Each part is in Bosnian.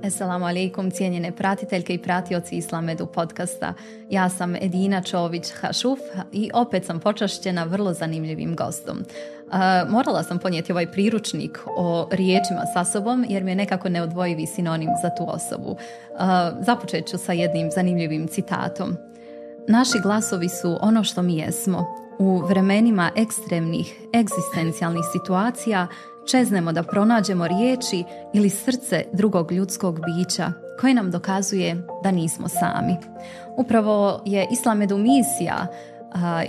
Assalamu alaikum, cijenjene pratiteljke i pratioci Islamedu podcasta. Ja sam Edina Čović-Hašuf i opet sam počašćena vrlo zanimljivim gostom. Morala sam ponijeti ovaj priručnik o riječima sa sobom jer mi je nekako neodvojivi sinonim za tu osobu. Započet ću sa jednim zanimljivim citatom. Naši glasovi su ono što mi jesmo. U vremenima ekstremnih, egzistencijalnih situacija čeznemo da pronađemo riječi ili srce drugog ljudskog bića koje nam dokazuje da nismo sami. Upravo je Islamedu misija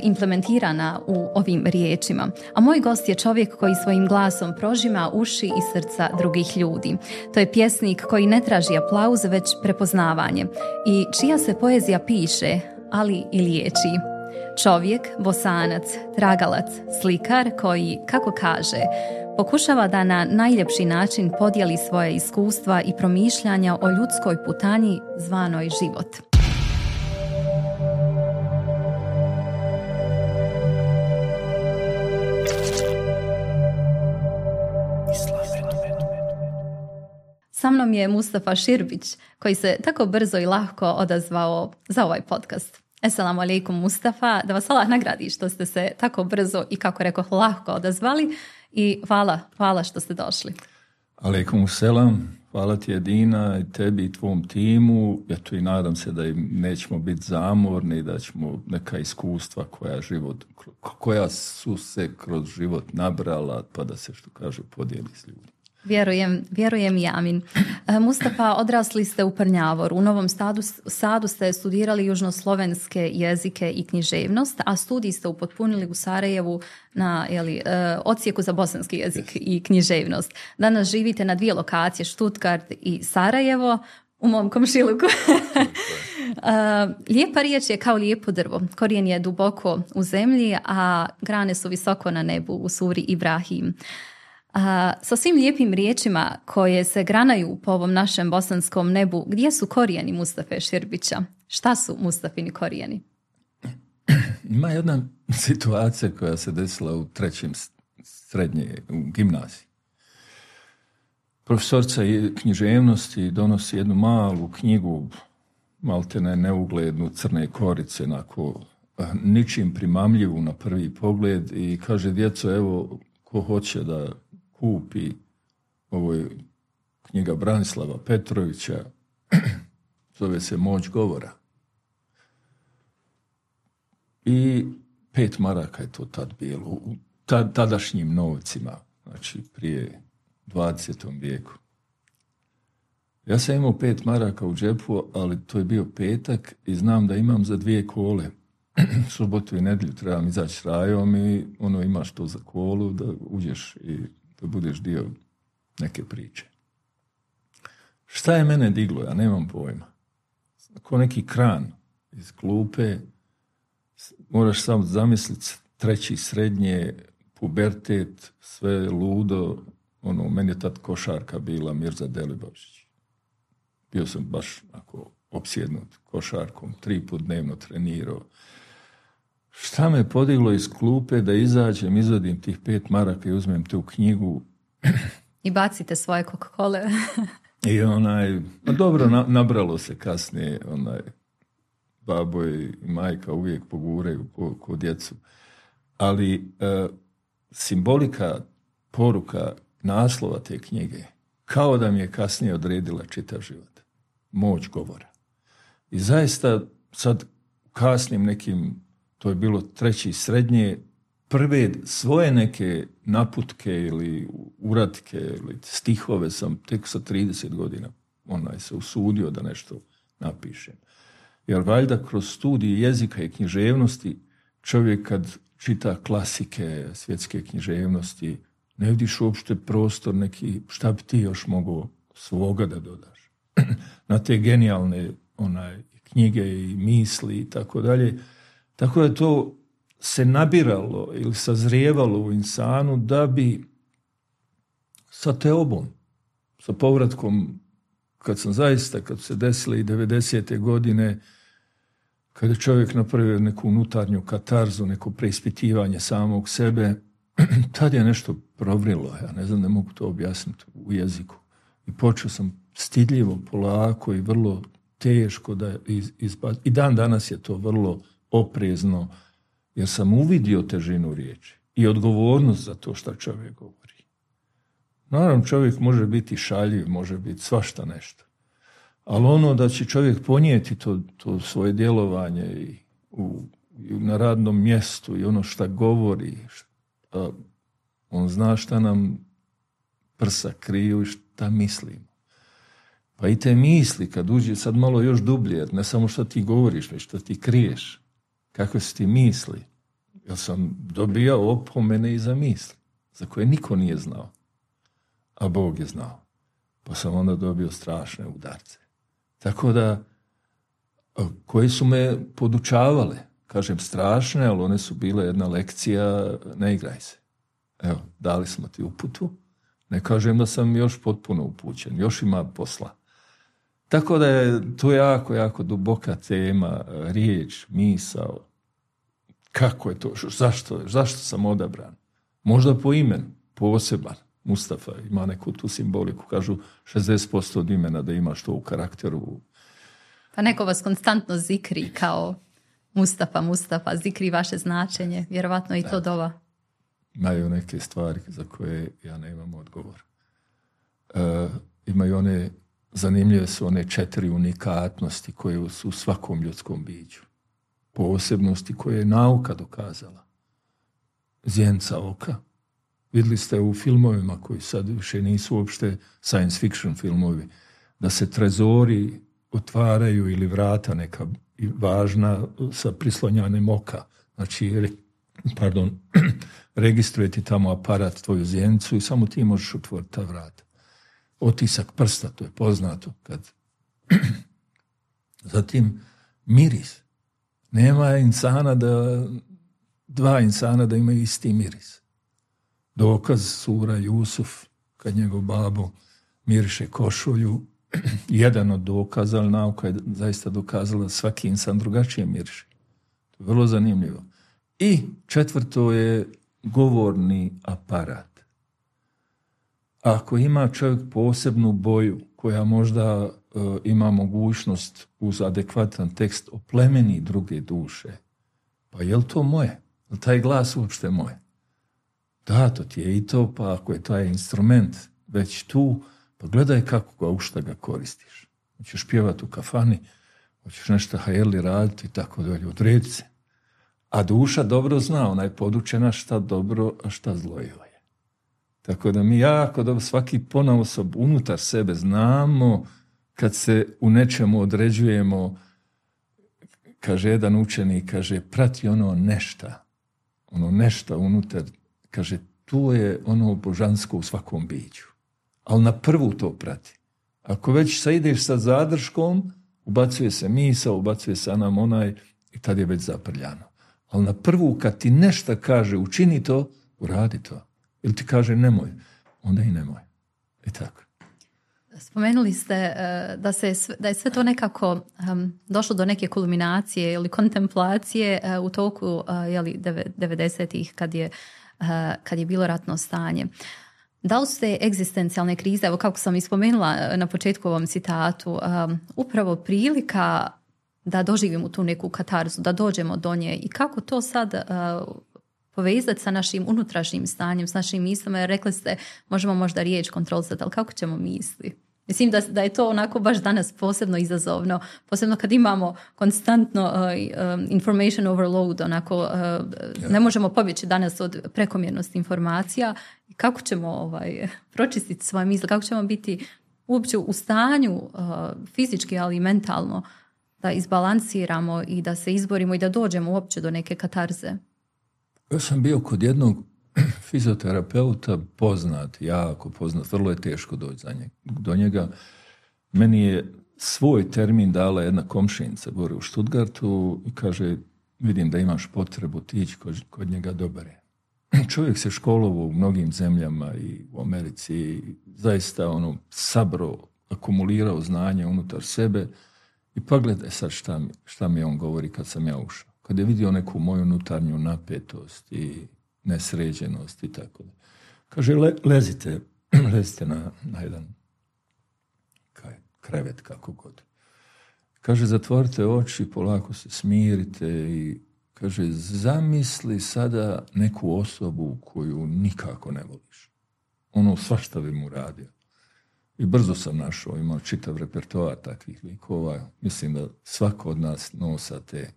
implementirana u ovim riječima, a moj gost je čovjek koji svojim glasom prožima uši i srca drugih ljudi. To je pjesnik koji ne traži aplauz, već prepoznavanje i čija se poezija piše, ali i liječi. Čovjek, bosanac, tragalac, slikar koji, kako kaže, pokušava da na najljepši način podijeli svoje iskustva i promišljanja o ljudskoj putanji zvanoj život. Sa mnom je Mustafa Širbić, koji se tako brzo i lahko odazvao za ovaj podcast. Assalamu alaikum Mustafa, da vas Allah nagradi što ste se tako brzo i kako rekoh lahko odazvali i hvala što ste došli. Alaikum selam, hvala ti Edina i tebi i tvom timu. Eto i nadam se da im nećemo biti zamorni, da ćemo neka iskustva koja su se kroz život nabrala pa da se što kaže podijeli s ljudima. Vjerujem i amin. Mustafa, odrasli ste u Prnjavoru. U Novom Sadu ste studirali južnoslovenske jezike i književnost, a studij ste upotpunili u Sarajevu na odsjeku za bosanski jezik i književnost. Danas živite na 2 lokacije, Stuttgart i Sarajevo, u mom komšiluku. Lijepa riječ je kao lijepo drvo. Korijen je duboko u zemlji, a grane su visoko na nebu u suri Ibrahim. Sa svim lijepim riječima koje se granaju po ovom našem bosanskom nebu, gdje su korijeni Mustafe Širbića? Šta su Mustafini korijeni? Ima jedna situacija koja se desila u 3. srednje, u gimnaziji. Profesorica književnosti donosi jednu malu knjigu, maltene neuglednu, crne korice, onako ničim primamljivu na prvi pogled i kaže: djeco, evo, ko hoće da kupi, ovo je knjiga Branislava Petrovića, zove se Moć govora. I 5 maraka je to tad bilo, u tadašnjim novcima, znači prije 20. vijeku. Ja sam imao 5 maraka u džepu, ali to je bio petak i znam da imam za 2 kole. Subotu i nedjelju trebam izaći s rajom i imaš to za kolu da uđeš i da budeš dio neke priče. Šta je mene diglo? Ja nemam pojma. Ko neki kran iz klupe, moraš samo zamisliti 3. srednje, pubertet, sve ludo. Meni je tad košarka bila Mirza Delibašić. Bio sam baš opsjednut košarkom, 3 put dnevno trenirao. Šta me podiglo iz klupe da izađem, izvadim tih 5 maraka i uzmem tu knjigu. I bacite svoje Coca-Cole. I dobro, nabralo se kasnije, babo i majka uvijek poguraju ko djecu. Ali simbolika, poruka naslova te knjige, kao da mi je kasnije odredila čitav život. Moć govora. I zaista sad kasnim nekim, to je bilo 3. srednje, prve svoje neke naputke ili uratke ili stihove sam tek sa 30 godina se usudio da nešto napišem. Jer valjda kroz studij jezika i književnosti čovjek kad čita klasike svjetske književnosti ne vidiš uopšte prostor neki, šta bi ti još mogao svoga da dodaš. Na te genijalne knjige i misli i tako dalje. Tako da to se nabiralo ili sazrijevalo u insanu da bi sa teobom, sa povratkom, kad su se desile i 90. godine, kada je čovjek napravio neku unutarnju katarzu, neko preispitivanje samog sebe, tad je nešto provrilo, ja ne znam, ne mogu to objasniti u jeziku. I počeo sam stidljivo, polako i vrlo teško da izbaci. I dan danas je to vrlo oprezno, jer sam uvidio težinu riječi i odgovornost za to što čovjek govori. Naravno, čovjek može biti šaljiv, može biti svašta nešto. Ali ono da će čovjek ponijeti to svoje djelovanje i na radnom mjestu i ono što govori, on zna šta nam prsa kriju i šta mislimo. Pa i te misli, kad uđe sad malo još dublje, ne samo što ti govoriš, već što ti kriješ, kakve su ti misli. Ja sam dobijao opomene i za misli, za koje niko nije znao, a Bog je znao. Pa sam onda dobio strašne udarce. Tako da, koje su me podučavale, kažem strašne, ali one su bile jedna lekcija, ne igraj se. Evo, dali smo ti uputu, ne kažem da sam još potpuno upućen, još ima posla. Tako da je to jako, jako duboka tema, riječ, misao, kako je to, zašto sam odabran. Možda po imenu, poseban, Mustafa ima neku tu simboliku, kažu 60% od imena da imaš to u karakteru. Pa neko vas konstantno zikri kao Mustafa, zikri vaše značenje, vjerovatno i to dova. Imaju neke stvari za koje ja nemam odgovor. Imaju one, zanimljive su one 4 unikatnosti koje su u svakom ljudskom biću. Posebnosti koje je nauka dokazala. Zjenca oka. Vidjeli ste u filmovima koji sad više nisu uopšte science fiction filmovi, da se trezori otvaraju ili vrata neka važna sa prislonjanjem oka. Znači, registruje ti tamo aparat tvoju zjencu i samo ti možeš otvoriti ta vrata. Otisak prsta, to je poznato. Zatim, miris. Nema dva insana da imaju isti miris. Dokaz sura Jusuf, kad njegov babo miriše košulju, jedan od dokaza, ali nauka je zaista dokazala da svaki insan drugačije miriše. To je vrlo zanimljivo. I 4. je govorni aparat. Ako ima čovjek posebnu boju koja možda ima mogućnost uz adekvatan tekst oplemeni druge duše, pa je li to moje? Je li taj glas uopšte moje? Da, to ti je i to, pa ako je taj instrument već tu, pa gledaj kako ga, u šta ga koristiš. Hoćeš pjevati u kafani, hoćeš nešto hajeli raditi i tako dalje, odredi se. A duša dobro zna, ona je podučena šta dobro, a šta zlo je. Tako da mi jako dobro, svaki ponaosob unutar sebe znamo kad se u nečemu određujemo, kaže jedan učenik, kaže, prati ono nešto unutar, kaže, tu je ono božansko u svakom biću. Ali na prvu to prati. Ako već ideš sa zadrškom, ubacuje se misao, ubacuje se nam onaj i tad je već zaprljano. Ali na prvu kad ti nešto kaže, učini to, uradi to. Ili ti kaže nemoj, onda i nemoj. I tako. Spomenuli ste da je sve to nekako došlo do neke kulminacije ili kontemplacije u toku 90-ih kad je bilo ratno stanje. Da li su te egzistencijalne krize, evo kako sam ispomenula na početku ovom citatu, upravo prilika da doživimo tu neku katarzu, da dođemo do nje i kako to sad povezati sa našim unutrašnjim stanjem, s našim mislima, jer rekli ste možemo možda riječ kontrolisati, ali kako ćemo misli? Mislim da je to onako baš danas posebno izazovno, posebno kad imamo konstantno information overload, onako ne možemo pobjeći danas od prekomjernosti informacija. Kako ćemo pročistiti svoje misli, kako ćemo biti uopće u stanju fizički, ali i mentalno da izbalansiramo i da se izborimo i da dođemo uopće do neke katarze? Ja sam bio kod jednog fizioterapeuta jako poznat, vrlo je teško doći do njega. Meni je svoj termin dala jedna komšinica gore u Stuttgartu i kaže, vidim da imaš potrebu ti ići kod njega, dobar je. Čovjek se školovao u mnogim zemljama i u Americi, zaista sabro, akumulirao znanje unutar sebe i pogledaj sad šta mi on govori kad sam ja ušao. Kad je vidio neku moju unutarnju napetost i nesređenost i tako da. Kaže, lezite na jedan kaj krevet, kako god. Kaže, zatvorite oči, polako se smirite i kaže, zamisli sada neku osobu koju nikako ne voliš. Ono svašta bi mu radio. I brzo sam našao, imao čitav repertoar takvih likova. Mislim da svako od nas nosa te.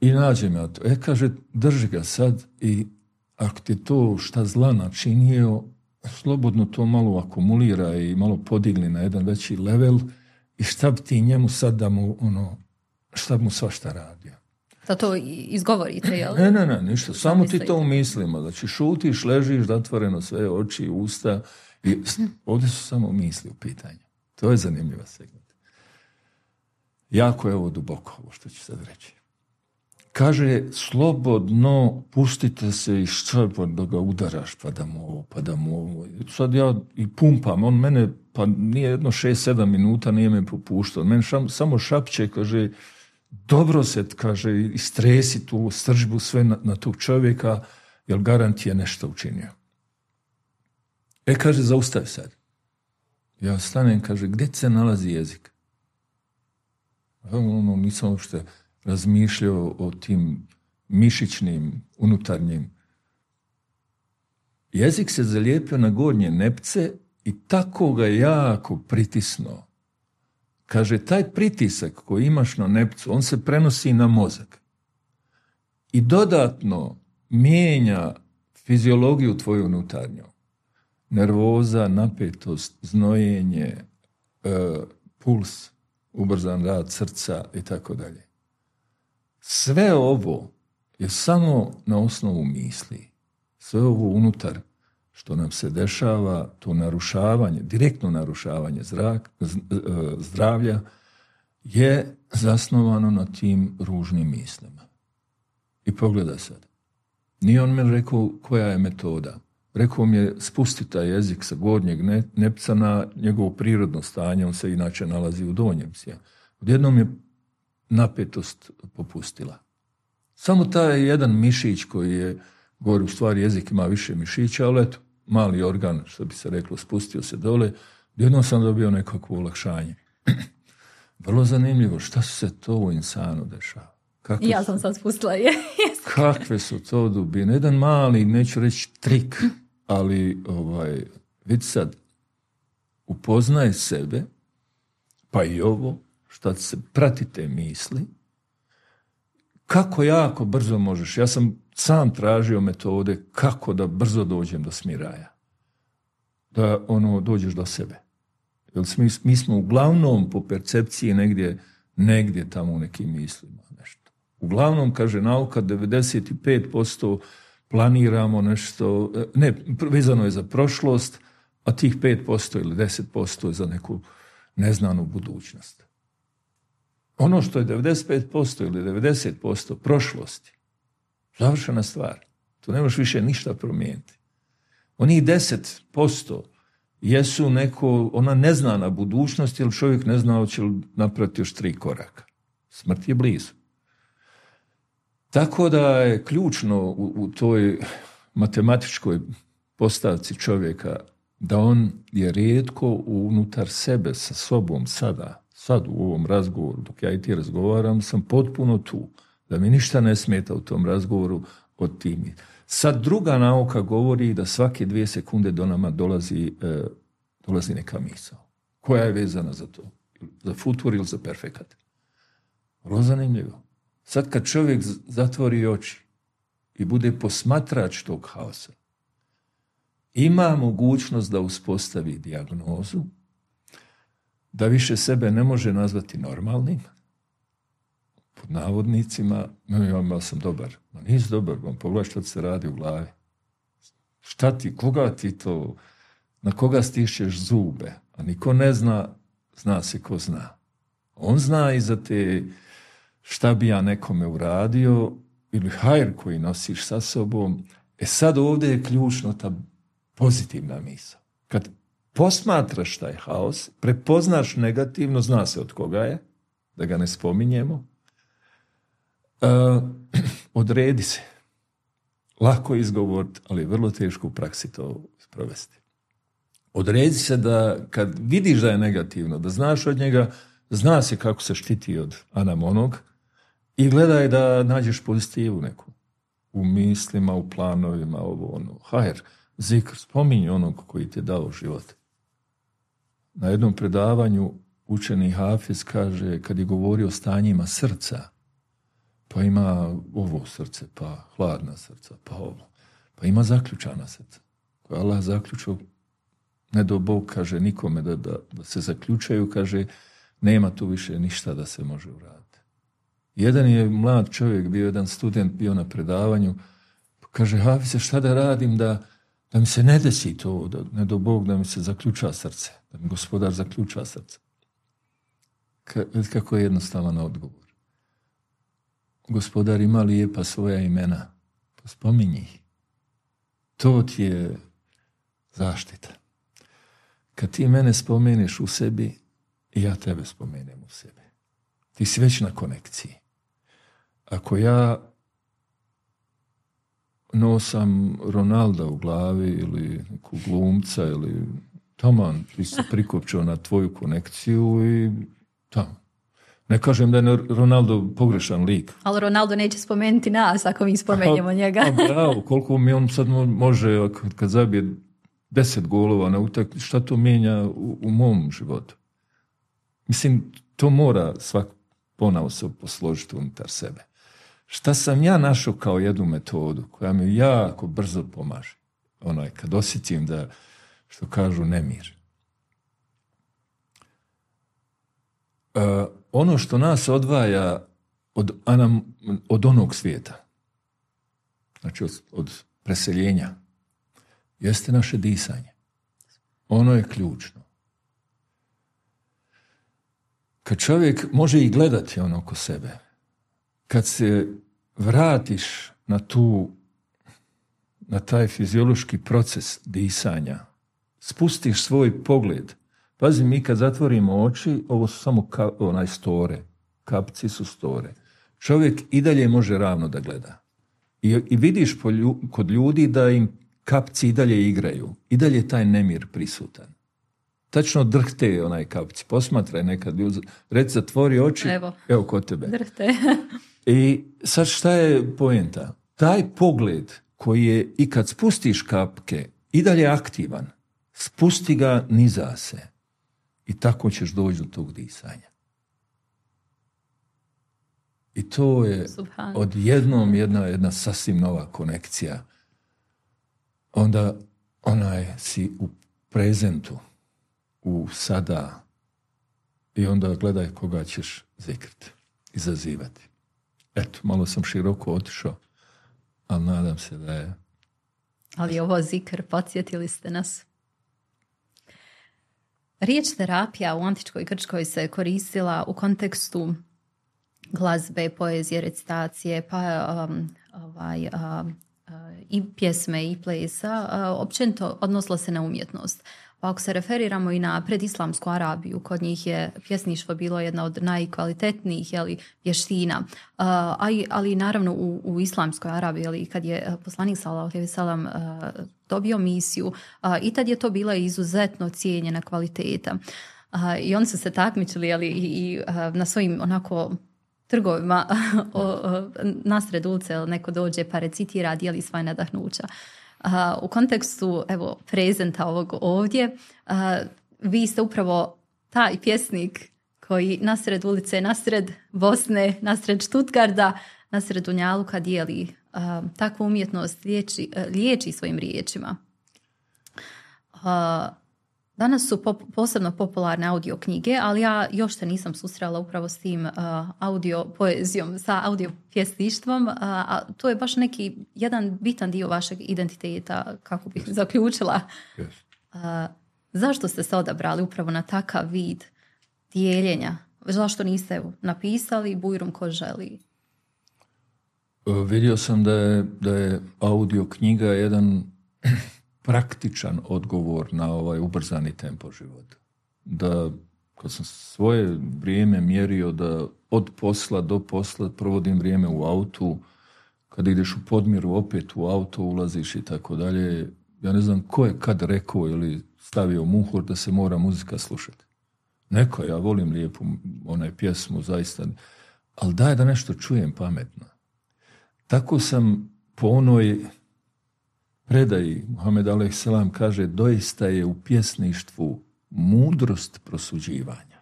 I nađem ja to. Kaže, drži ga sad i ako ti to šta zla načinio, slobodno to malo akumulira i malo podigli na jedan veći level i šta bi ti njemu sad da mu, šta bi mu svašta radio. Da to izgovorite, jel? Ne, ništa. Samo ti to u mislima. Znači, šutiš, ležiš, zatvoreno sve oči, usta i ovdje su samo misli u pitanju. To je zanimljiva segment. Jako je ovo duboko, ovo što ću sad reći. Kaže, slobodno pustite se i što da ga udaraš, pa da mu ovo. Sad ja i pumpam, on mene, pa nije jedno 6-7 minuta, nije me popuštao. Meni samo šapće, kaže, dobro se, kaže, istresi tu sržbu sve na tog čovjeka, jer garant je nešto učinio. Kaže, zaustavi sad. Ja stanem, kaže, gdje se nalazi jezik? Nisam uopšte razmišljao o tim mišićnim, unutarnjim. Jezik se zalijepio na gornje nepce i tako ga jako pritisnuo. Kaže, taj pritisak koji imaš na nepcu, on se prenosi na mozak. I dodatno mijenja fiziologiju tvoju unutarnju. Nervoza, napetost, znojenje, puls, ubrzan rad srca i tako dalje. Sve ovo je samo na osnovu misli. Sve ovo unutar što nam se dešava, to narušavanje, direktno narušavanje zdravlja je zasnovano na tim ružnim mislima. I pogledaj sad. Nije on mi rekao koja je metoda. Rekao mi je spusti taj jezik sa gornjeg nepca na njegovo prirodno stanje, on se inače nalazi u donjem. Odjednom je napetost popustila. Samo taj jedan mišić koji je, gore u stvari jezik ima više mišića, ali eto, mali organ, što bi se reklo, spustio se dole, odjednom sam dobio nekakvo olakšanje. Vrlo zanimljivo, šta se to u insanu dešava? Ja sam sad spustila kakve su to dubine? Jedan mali, neću reći trik, ali vidi sad, upoznaj sebe, pa i ovo, šta se prati te misli, kako jako brzo možeš. Ja sam sam tražio metode kako da brzo dođem do smiraja. Da dođeš do sebe. Jer mi smo uglavnom po percepciji negdje tamo u nekim mislima nešto. Uglavnom, kaže nauka, 95% planiramo nešto, ne, vezano je za prošlost, a tih 5% ili 10% je za neku neznanu budućnost. Ono što je 95% ili 90% prošlosti, završena stvar. Tu ne možeš više ništa promijeniti. Onih 10% jesu ona neznana budućnost, jer čovjek ne zna hoće li napraviti još 3 koraka. Smrt je blizu. Tako da je ključno u toj matematičkoj postavci čovjeka da on je rijetko unutar sebe sa sobom sad u ovom razgovoru, dok ja i ti razgovaram, sam potpuno tu. Da mi ništa ne smeta u tom razgovoru od timi. Sad druga nauka govori da svake 2 sekunde do nama dolazi neka misao. Koja je vezana za to? Za futur ili za perfekat? Vrlo zanimljivo. Sad kad čovjek zatvori oči i bude posmatrač tog haosa, ima mogućnost da uspostavi dijagnozu, da više sebe ne može nazvati normalnim, pod navodnicima, ja sam dobar. Ma nisi dobar, pogledaj što se radi u glavi. Koga ti to, na koga stišćeš zube, a niko ne zna, zna se ko zna. On zna i za te šta bi ja nekome uradio ili hajr koji nosiš sa sobom. Sad ovdje je ključno ta pozitivna misao. Kad posmatraš taj haos, prepoznaš negativno, zna se od koga je, da ga ne spominjemo, odredi se. Lako izgovoriti, ali je vrlo teško u praksi to sprovesti. Odredi se da kad vidiš da je negativno, da znaš od njega, zna se kako se štiti od anamonog i gledaj da nađeš pozitivu neku. U mislima, u planovima, ovo ono. Hajr, zikr, spominji onog koji ti je dao život. Na jednom predavanju učeni Hafiz kaže, kad je govorio o stanjima srca, pa ima ovo srce, pa hladna srca, pa ovo. Pa ima zaključana srca. Koja Allah zaključio, ne do Bog, kaže, nikome da se zaključaju, kaže, nema tu više ništa da se može uraditi. Jedan je mlad čovjek, bio jedan student, bio na predavanju, pa kaže, Hafize, šta da radim da mi se ne desi to, da ne do Bog, da mi se zaključa srce, da mi gospodar zaključa srce. Kako je jednostavan odgovor. Gospodar ima lijepa svoja imena, pa spominji ih. To ti je zaštita. Kad ti mene spomeneš u sebi, ja tebe spomenem u sebi. Ti si već na konekciji. Ako ja nosam Ronalda u glavi ili neku glumca ili taman, ti si prikopčao na tvoju konekciju i tamo. Ne kažem da je Ronaldo pogrešan lik. Ali Ronaldo neće spomenuti nas ako mi spomenjemo njega. Bravo, koliko mi on sad može, kad zabije 10 golova na utakmici, šta to mijenja u mom životu? Mislim, to mora svak ponaosob posložiti unutar sebe. Šta sam ja našao kao jednu metodu koja mi jako brzo pomaže? Kad osjetim da, što kažu, nemir. Ono što nas odvaja od onog svijeta, znači od preseljenja, jeste naše disanje. Ono je ključno. Kad čovjek može i gledati ono oko sebe, kad se vratiš na taj fiziološki proces disanja, spustiš svoj pogled. Pazi, mi kad zatvorimo oči, ovo su samo store. Kapci su store. Čovjek i dalje može ravno da gleda. I vidiš kod ljudi da im kapci i dalje igraju. I dalje je taj nemir prisutan. Tačno drhte kapci. Posmatraj nekad. Reci, zatvori oči. Evo kod tebe. Drhte. I sad šta je poenta? Taj pogled koji je i kad spustiš kapke i dalje aktivan, spusti ga niza se. I tako ćeš doći do tog disanja. I to je odjednom jedna sasvim nova konekcija. Onda si u prezentu, u sada, i onda gledaj koga ćeš zikriti, izazivati. Eto, malo sam široko otišao, ali nadam se da je... Ali ovo zikr, podsjetili ste nas. Riječ terapija u antičkoj Grčkoj se koristila u kontekstu glazbe, poezije, recitacije, pa i pjesme i plesa. Općenito odnosilo se na umjetnost. Pa ako se referiramo i na predislamsku Arabiju, kod njih je pjesništvo bilo jedna od najkvalitetnijih vještina. Ali naravno u islamskoj Arabiji, kad je poslanik sallallahu alejhi ve sellem dobio misiju, i tad je to bila izuzetno cijenjena kvaliteta. I oni su se takmičili i na svojim trgovima nasred ulice neko dođe pa recitira, dijeli svoje nadahnuća. U kontekstu prezenta ovog ovdje, vi ste upravo taj pjesnik koji nasred ulice, nasred Bosne, nasred Stuttgarta, nasred Dunjaluka dijeli takvu umjetnost, liječi svojim riječima. Danas su posebno popularne audio knjige, ali ja još se nisam susrela upravo s tim audio poezijom, sa audio pjesništvom, a to je baš neki jedan bitan dio vašeg identiteta, kako bih zaključila. Zašto ste se odabrali upravo na takav vid dijeljenja? Zašto niste napisali bujrum ko želi? Vidio sam da je audio knjiga jedan praktičan odgovor na ovaj ubrzani tempo života. Da kad sam svoje vrijeme mjerio da od posla do posla provodim vrijeme u autu, kad ideš u podmiru opet u auto ulaziš i tako dalje, ja ne znam ko je kad rekao ili stavio muhur da se mora muzika slušati. Neko, ja volim lijepu pjesmu, zaista, ali daj da nešto čujem pametno. Tako sam po onoj predaji, Muhammed a.s. kaže, doista je u pjesništvu mudrost prosuđivanja.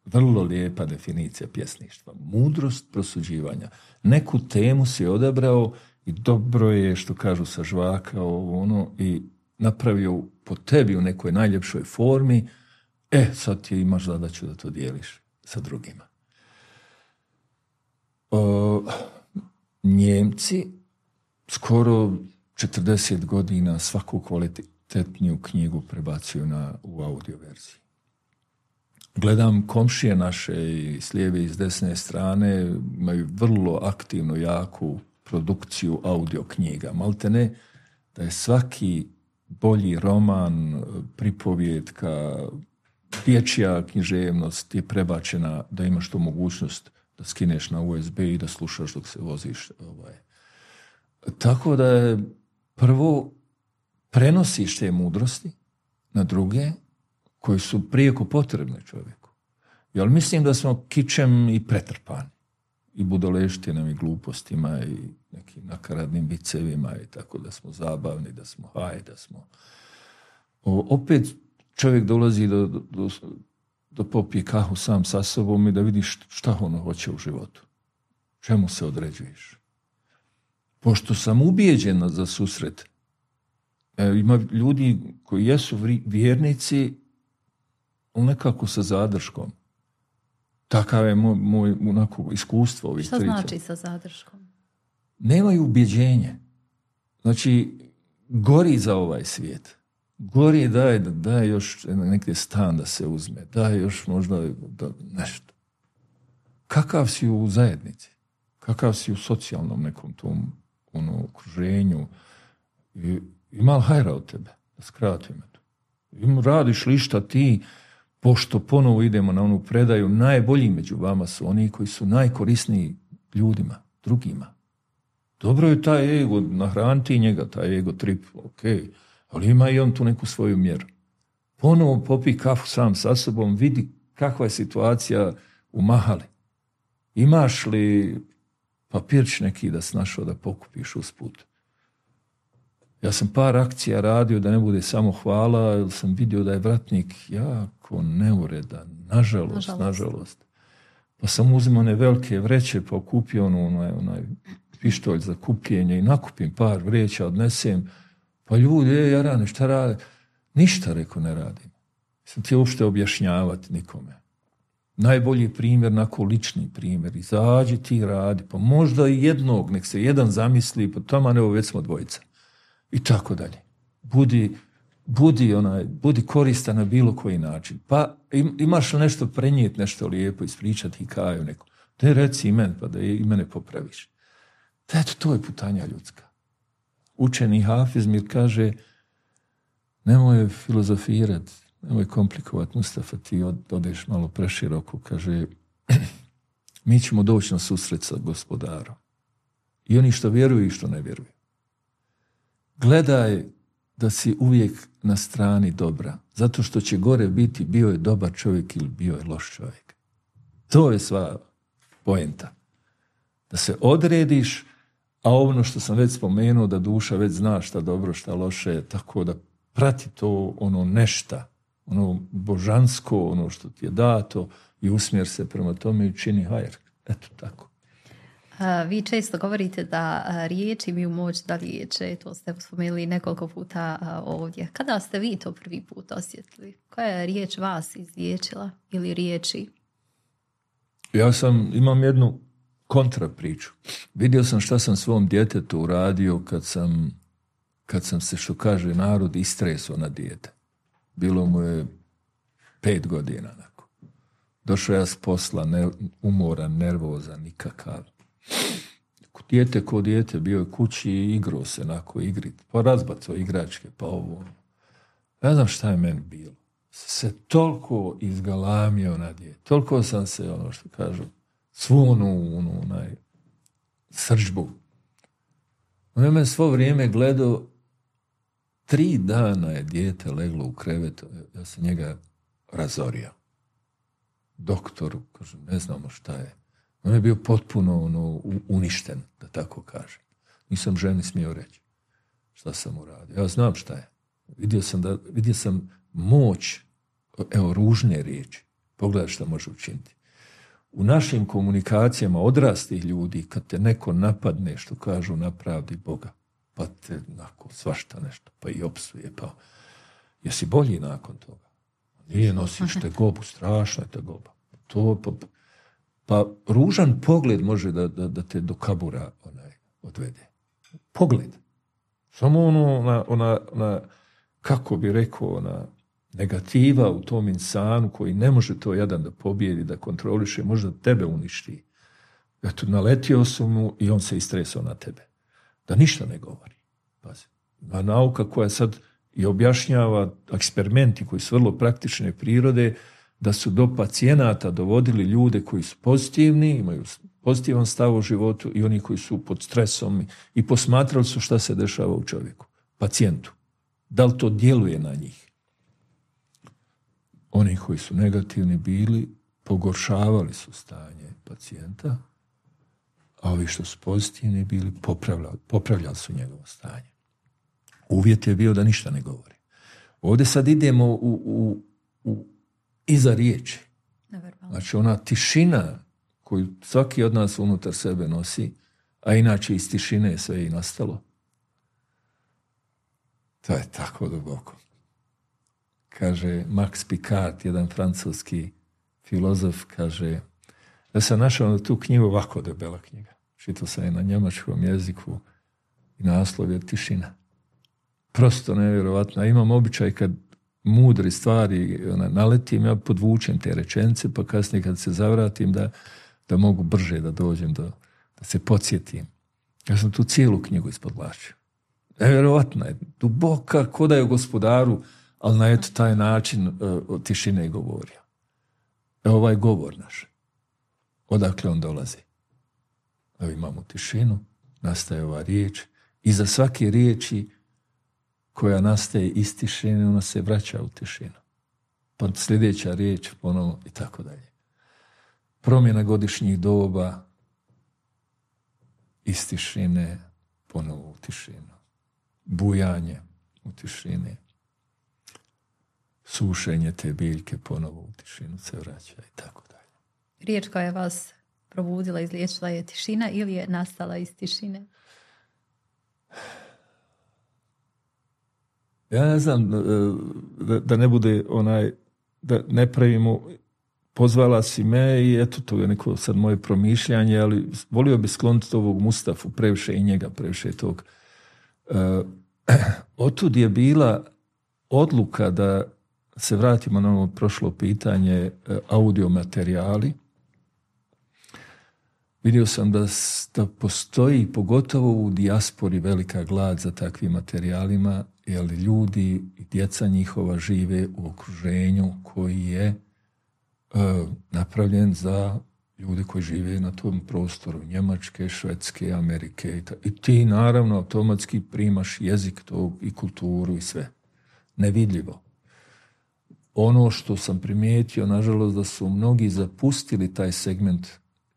Vrlo lijepa definicija pjesništva. Mudrost prosuđivanja. Neku temu si odabrao i dobro je, što kažu, sažvakao i napravio po tebi u nekoj najljepšoj formi. Sad ti imaš zadaću da to dijeliš sa drugima. Njemci skoro 40 godina svaku kvalitetniju knjigu prebacuju u audio verziji. Gledam komšije naše i s lijeve i s desne strane, imaju vrlo aktivnu, jaku produkciju audio knjiga. Maltene da je svaki bolji roman, pripovjetka, dječja književnost je prebačena da imaš tu mogućnost da skineš na USB i da slušaš dok se voziš. Tako da je prvo prenosiš te mudrosti na druge koji su prijeko potrebne čovjeku. Jel mislim da smo kičem i pretrpani i budoleštinom i glupostima i nekim nakaradnim vicevima i tako da smo zabavni, da smo da smo... Opet čovjek dolazi do popije kahu sam sa sobom i da vidiš šta ono hoće u životu. Čemu se određuješ? Pošto sam ubijeđen za susret, ima ljudi koji jesu vjernici, ali nekako sa zadrškom. Takav je moj iskustvo ovih Šta znači sa zadrškom? Nemaju ubjeđenje. Znači, gori za ovaj svijet. Gori daje još neki stan da se uzme. Daje još možda nešto. Kakav si u zajednici? Kakav si u socijalnom nekom tom okruženju? Ima li hajra od tebe? Da skratim to. Radiš li šta ti, pošto ponovo idemo na onu predaju, najbolji među vama su oni koji su najkorisniji ljudima, drugima. Dobro je taj ego, nahraniti njega, taj ego trip, ok, ali ima i on tu neku svoju mjeru. Ponovo popi kafu sam sa sobom, vidi kakva je situacija u mahali. Imaš li papirč neki da si našao da pokupiš usput? Ja sam par akcija radio da ne bude samo hvala, jer sam vidio da je vratnik jako neuredan, nažalost. Pa sam uzimao one velike vreće, pa kupio onaj pištolj za kupljenje i nakupim par vreća, odnesem. Pa ljudi, jarane, šta rade? Ništa, rekao, ne radim. Sam ti uopšte objašnjavati nikome. Najbolji primjer, onako lični primjer. Izađi ti radi, pa možda i jednog, nek se jedan zamisli, pa tamo evo već smo dvojica. I tako dalje. Budi koristan na bilo koji način. Pa imaš li nešto prenijeti, nešto lijepo, ispričati hikaju neku. Te reci i meni, pa da i mene popraviš. Eto, to je putanja ljudska. Učeni Hafiz mir kaže, nemoj filozofirati, nemoj komplikovati, Mustafa, ti odeš malo preširoko, kaže, mi ćemo doći na susret sa Gospodarom. I oni što vjeruju i što ne vjeruju. Gledaj da si uvijek na strani dobra, zato što će gore biti bio je dobar čovjek ili bio je loš čovjek. To je sva poenta. Da se odrediš, a ono što sam već spomenuo, da duša već zna šta dobro, šta loše, tako da prati to nešta, božansko, ono što ti je dato i usmjer se prema tome i čini hajr. Eto tako. Vi često govorite da riječi imaju moć da liječe, to ste spomenuli nekoliko puta ovdje. Kada ste vi to prvi put osjetili? Koja je riječ vas izliječila ili riječi? Ja imam jednu kontra priču. Vidio sam šta sam svom djetetu uradio kad sam se, što kaže narod, istresao na dijete. Bilo mu je 5 godina. Došao ja s posla, umoran, nervozan, nikakav. Dijete ko dijete, bio je kući i igrao se igrit. Pa razbacao igračke, pa ovo. Ne znam šta je meni bilo. Se toliko izgalamio na dijete. Toliko sam se, što kažu, svu srđbu. On je me svo vrijeme gledao, 3 dana je dijete leglo u krevet, ja sam njega razorio. Doktoru, kažem, ne znamo šta je. On je bio potpuno uništen, da tako kažem. Nisam ženi smio reći šta sam uradio. Ja znam šta je. Vidio sam moć, evo, ružne riječi. Pogledaj šta može učiniti. U našim komunikacijama odraslih ljudi, kad te neko napadne, što kažu, napravdi Boga, pa te svašta nešto, pa i opsuje, pa jesi bolji nakon toga? Nije, nosiš tegobu, strašna je tegoba. Pa ružan pogled može da te do kabura odvede. Pogled. Samo ona kako bi rekao, ona negativa u tom insanu koji ne može to jadan da pobjedi, da kontroliše, možda tebe uništi. Eto, naletio sam mu i on se istresao na tebe. Da ništa ne govori. Pazi. A nauka koja sad i objašnjava eksperimenti koji su vrlo praktične prirode, da su do pacijenata dovodili ljude koji su pozitivni, imaju pozitivan stav u životu i oni koji su pod stresom i posmatrali su šta se dešava u čovjeku, pacijentu. Da li to djeluje na njih? Oni koji su negativni bili, pogoršavali su stanje pacijenta, a ovi što su pozitivni bili, popravljali su njegovo stanje. Uvjet je bio da ništa ne govori. Ovdje sad idemo u iza riječi. Znači ona tišina koju svaki od nas unutar sebe nosi, a inače iz tišine je sve i nastalo. To je tako duboko. Kaže Max Picard, jedan francuski filozof, kaže, ja sam našao tu knjigu, ovako debela knjiga. Čitao sam je na njemačkom jeziku i naslov je Tišina. Prosto nevjerovatno. Imam običaj kad mudri stvari naletim, ja podvučem te rečenice, pa kasnije kad se zavratim da mogu brže da dođem, da se podsjetim. Ja sam tu cijelu knjigu ispodlačio. Nevjerovatna je, duboka, ko da je o gospodaru, ali na eto taj način od tišine govorio. Evo ovaj govor naš. Odakle on dolazi? Evo imamo tišinu, nastaje ova riječ. Iza svake riječi koja nastaje iz tišine, ona se vraća u tišinu. Pa sljedeća riječ ponovo i tako dalje. Promjena godišnjih doba iz tišine ponovo u tišinu. Bujanje u tišini. Sušenje te biljke ponovo u tišinu se vraća i tako dalje. Riječ koja je vas probudila, izliječila je tišina ili je nastala iz tišine? Ja ne znam, da ne bude da ne pravimo, pozvala si me i eto, to je neko sad moje promišljanje, ali volio bi skloniti ovog Mustafu, previše i njega, previše tog. Otud je bila odluka da se vratimo na ovo prošlo pitanje, audio materijali. Vidio sam da postoji, pogotovo u dijaspori, velika glad za takvim materijalima, jer ljudi i djeca njihova žive u okruženju koji je napravljen za ljude koji žive na tom prostoru, Njemačke, Švedske, Amerike. I ti naravno automatski primaš jezik tog i kulturu i sve. Nevidljivo. Ono što sam primijetio, nažalost, da su mnogi zapustili taj segment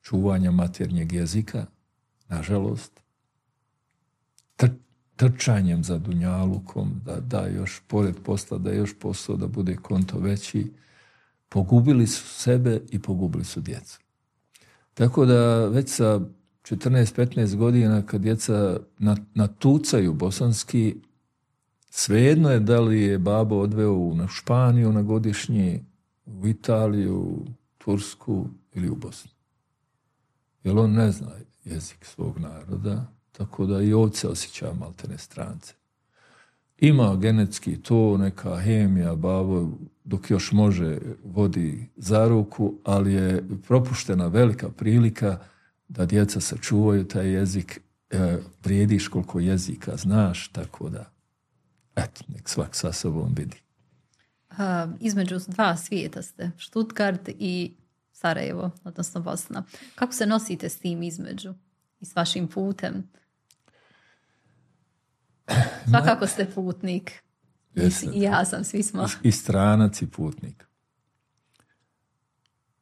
čuvanja maternjeg jezika, nažalost, trčanjem za dunjalukom, da još pored posla, da još posao, da bude konto veći, pogubili su sebe i pogubili su djecu. Tako da već sa 14-15 godina kad djeca natucaju bosanski, svejedno je da li je babo odveo na Španiju na godišnji, u Italiju, Tursku ili u Bosnu. Jer on ne zna jezik svog naroda, tako da i ovdje osjeća maltene strance. Ima genetski to, neka hemija, babo, dok još može, vodi za ruku, ali je propuštena velika prilika da djeca sačuvaju taj jezik, vrijediš koliko jezika znaš, tako da, eto, nek svak sa sobom vidi. Između 2 svijeta ste, Stuttgart i Sarajevo, odnosno Bosna. Kako se nosite s tim između i s vašim putem? Svakako ste putnik. I ja sam, svi smo. I stranac i putnik.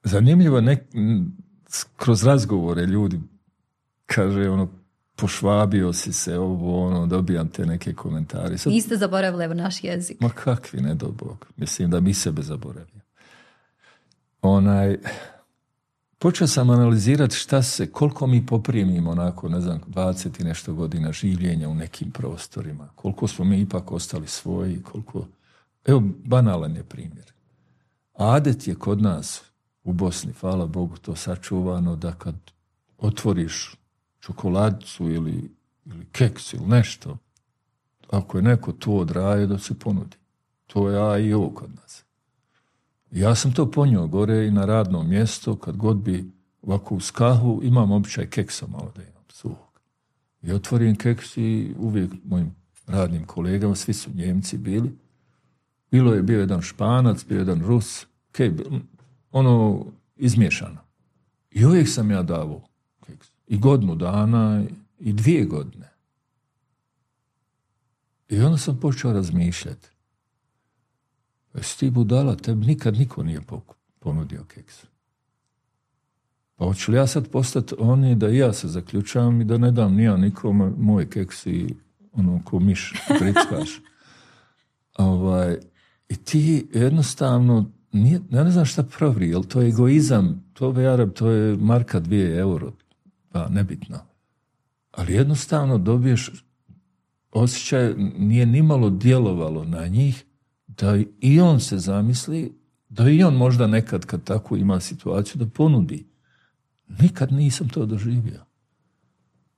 Zanimljivo, kroz razgovore ljudi kaže pošvabio si se, dobijam te neke komentare. Vi ste zaboravili naš jezik. Ma kakvi, ne do Bog. Mislim da mi sebe zaboravimo. Počeo sam analizirati koliko mi poprimimo nakon, 20 i nešto godina življenja u nekim prostorima. Koliko smo mi ipak ostali svoji, koliko... Evo, banalan je primjer. Adet je kod nas u Bosni, hvala Bogu, to sačuvano, da kad otvoriš čokoladicu ili keks ili nešto, ako je neko to odraje, da se ponudi. To je A i O kod nas. Ja sam to ponio gore i na radnom mjestu, kad god bi ovako uz kahvu, imam običaj keksa malo da imam suhog. I otvorim keks i uvijek mojim radnim kolegama, svi su Njemci bili. Bio jedan Španac, bio jedan Rus, izmiješano. I uvijek sam ja davao keks. I godinu dana, i 2 godine. I onda sam počeo razmišljati. Jesi ti budala, tebi nikad niko nije ponudio keks. Pa hoću li ja sad postati oni da i ja se zaključavam i da ne dam nija nikome moj keks i ko miš grickaš. I ti jednostavno, ja ne znam šta pravi, jel to je egoizam, to je marka 2 euro, pa nebitno. Ali jednostavno dobiješ osjećaj, nije nimalo djelovalo na njih, da i on se zamisli, da i on možda nekad kad tako ima situaciju da ponudi. Nikad nisam to doživio.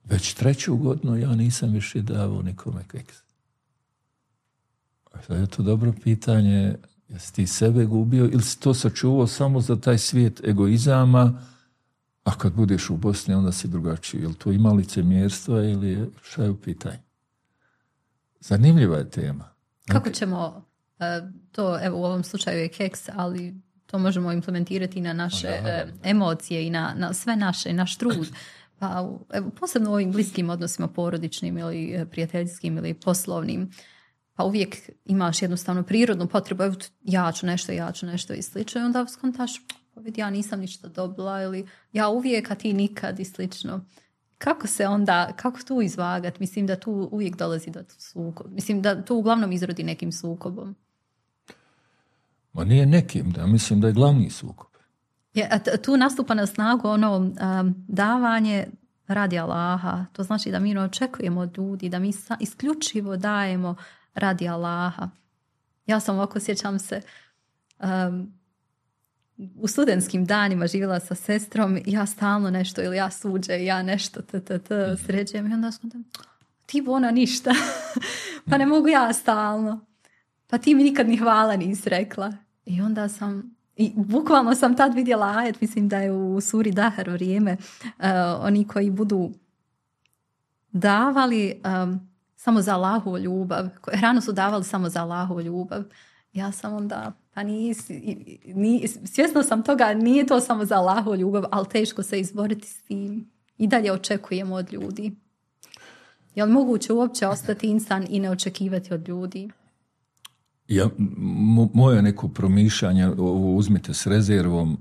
Već 3. godinu ja nisam više davao nikome keks. Sad je to dobro pitanje, jesi ti sebe gubio ili si to sačuvao samo za taj svijet egoizama, a kad budeš u Bosni onda si drugačiji. Je li to ima licemjerstva ili šta je u pitanju? Zanimljiva je tema. Kako ćemo to, evo u ovom slučaju je keks, ali to možemo implementirati na naše emocije i na sve naš trud. Pa, evo, posebno u ovim bliskim odnosima, porodičnim ili prijateljskim ili poslovnim, pa uvijek imaš jednostavno prirodnu potrebu, evo ja ću nešto i slično, i onda skontaš, pa vidi, ja nisam ništa dobila, ili ja uvijek, a ti nikad i slično. Kako tu izvagati? Mislim da tu uvijek dolazi do sukoba. Mislim da tu uglavnom izrodi nekim sukobom. Ma nije nekim, mislim da je glavni sukob. Tu nastupa na snagu davanje radi Allaha. To znači da mi očekujemo od ljudi, da mi isključivo dajemo radi Allaha. Ja sam ovako, sjećam se, u studentskim danima živjela sa sestrom, ja stalno nešto, ili ja suđe, ja nešto sređujem, i onda sam ti ona ništa, pa ne mogu ja stalno, pa ti mi nikad ni hvala nisi rekla. I onda bukvalno sam tad vidjela ajet, mislim da je u suri Dahar vrijeme, oni koji budu davali samo za Allahovu ljubav, hranu su davali samo za Allahovu ljubav. Ja sam onda, pa svjesna sam toga, nije to samo za Allahovu ljubav, ali teško se izboriti s tim. I dalje očekujemo od ljudi. Je li moguće uopće ostati insan i ne očekivati od ljudi? Moje neko promišljanje, ovo uzmite s rezervom,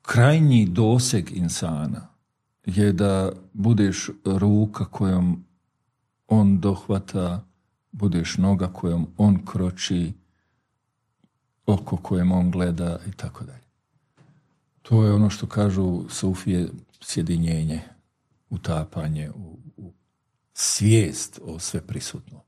krajnji doseg insana je da budeš ruka kojom on dohvata, budeš noga kojom on kroči, oko kojem on gleda i tako dalje. To je ono što kažu sufije, sjedinjenje, utapanje u svijest o sveprisutnom.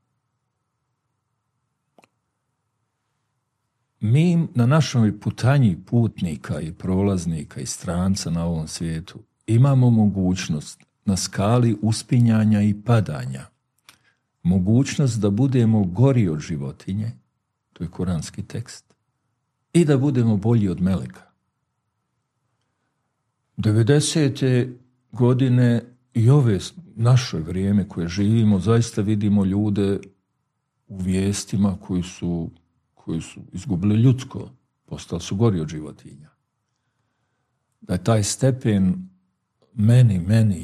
Mi na našoj putanji putnika i prolaznika i stranca na ovom svijetu imamo mogućnost na skali uspinjanja i padanja, mogućnost da budemo gori od životinje, to je kuranski tekst, i da budemo bolji od meleka. 90. godine i ove naše vrijeme koje živimo, zaista vidimo ljude u vijestima koji su izgubili ljudsko, postali su gori od životinja. Da je taj stepen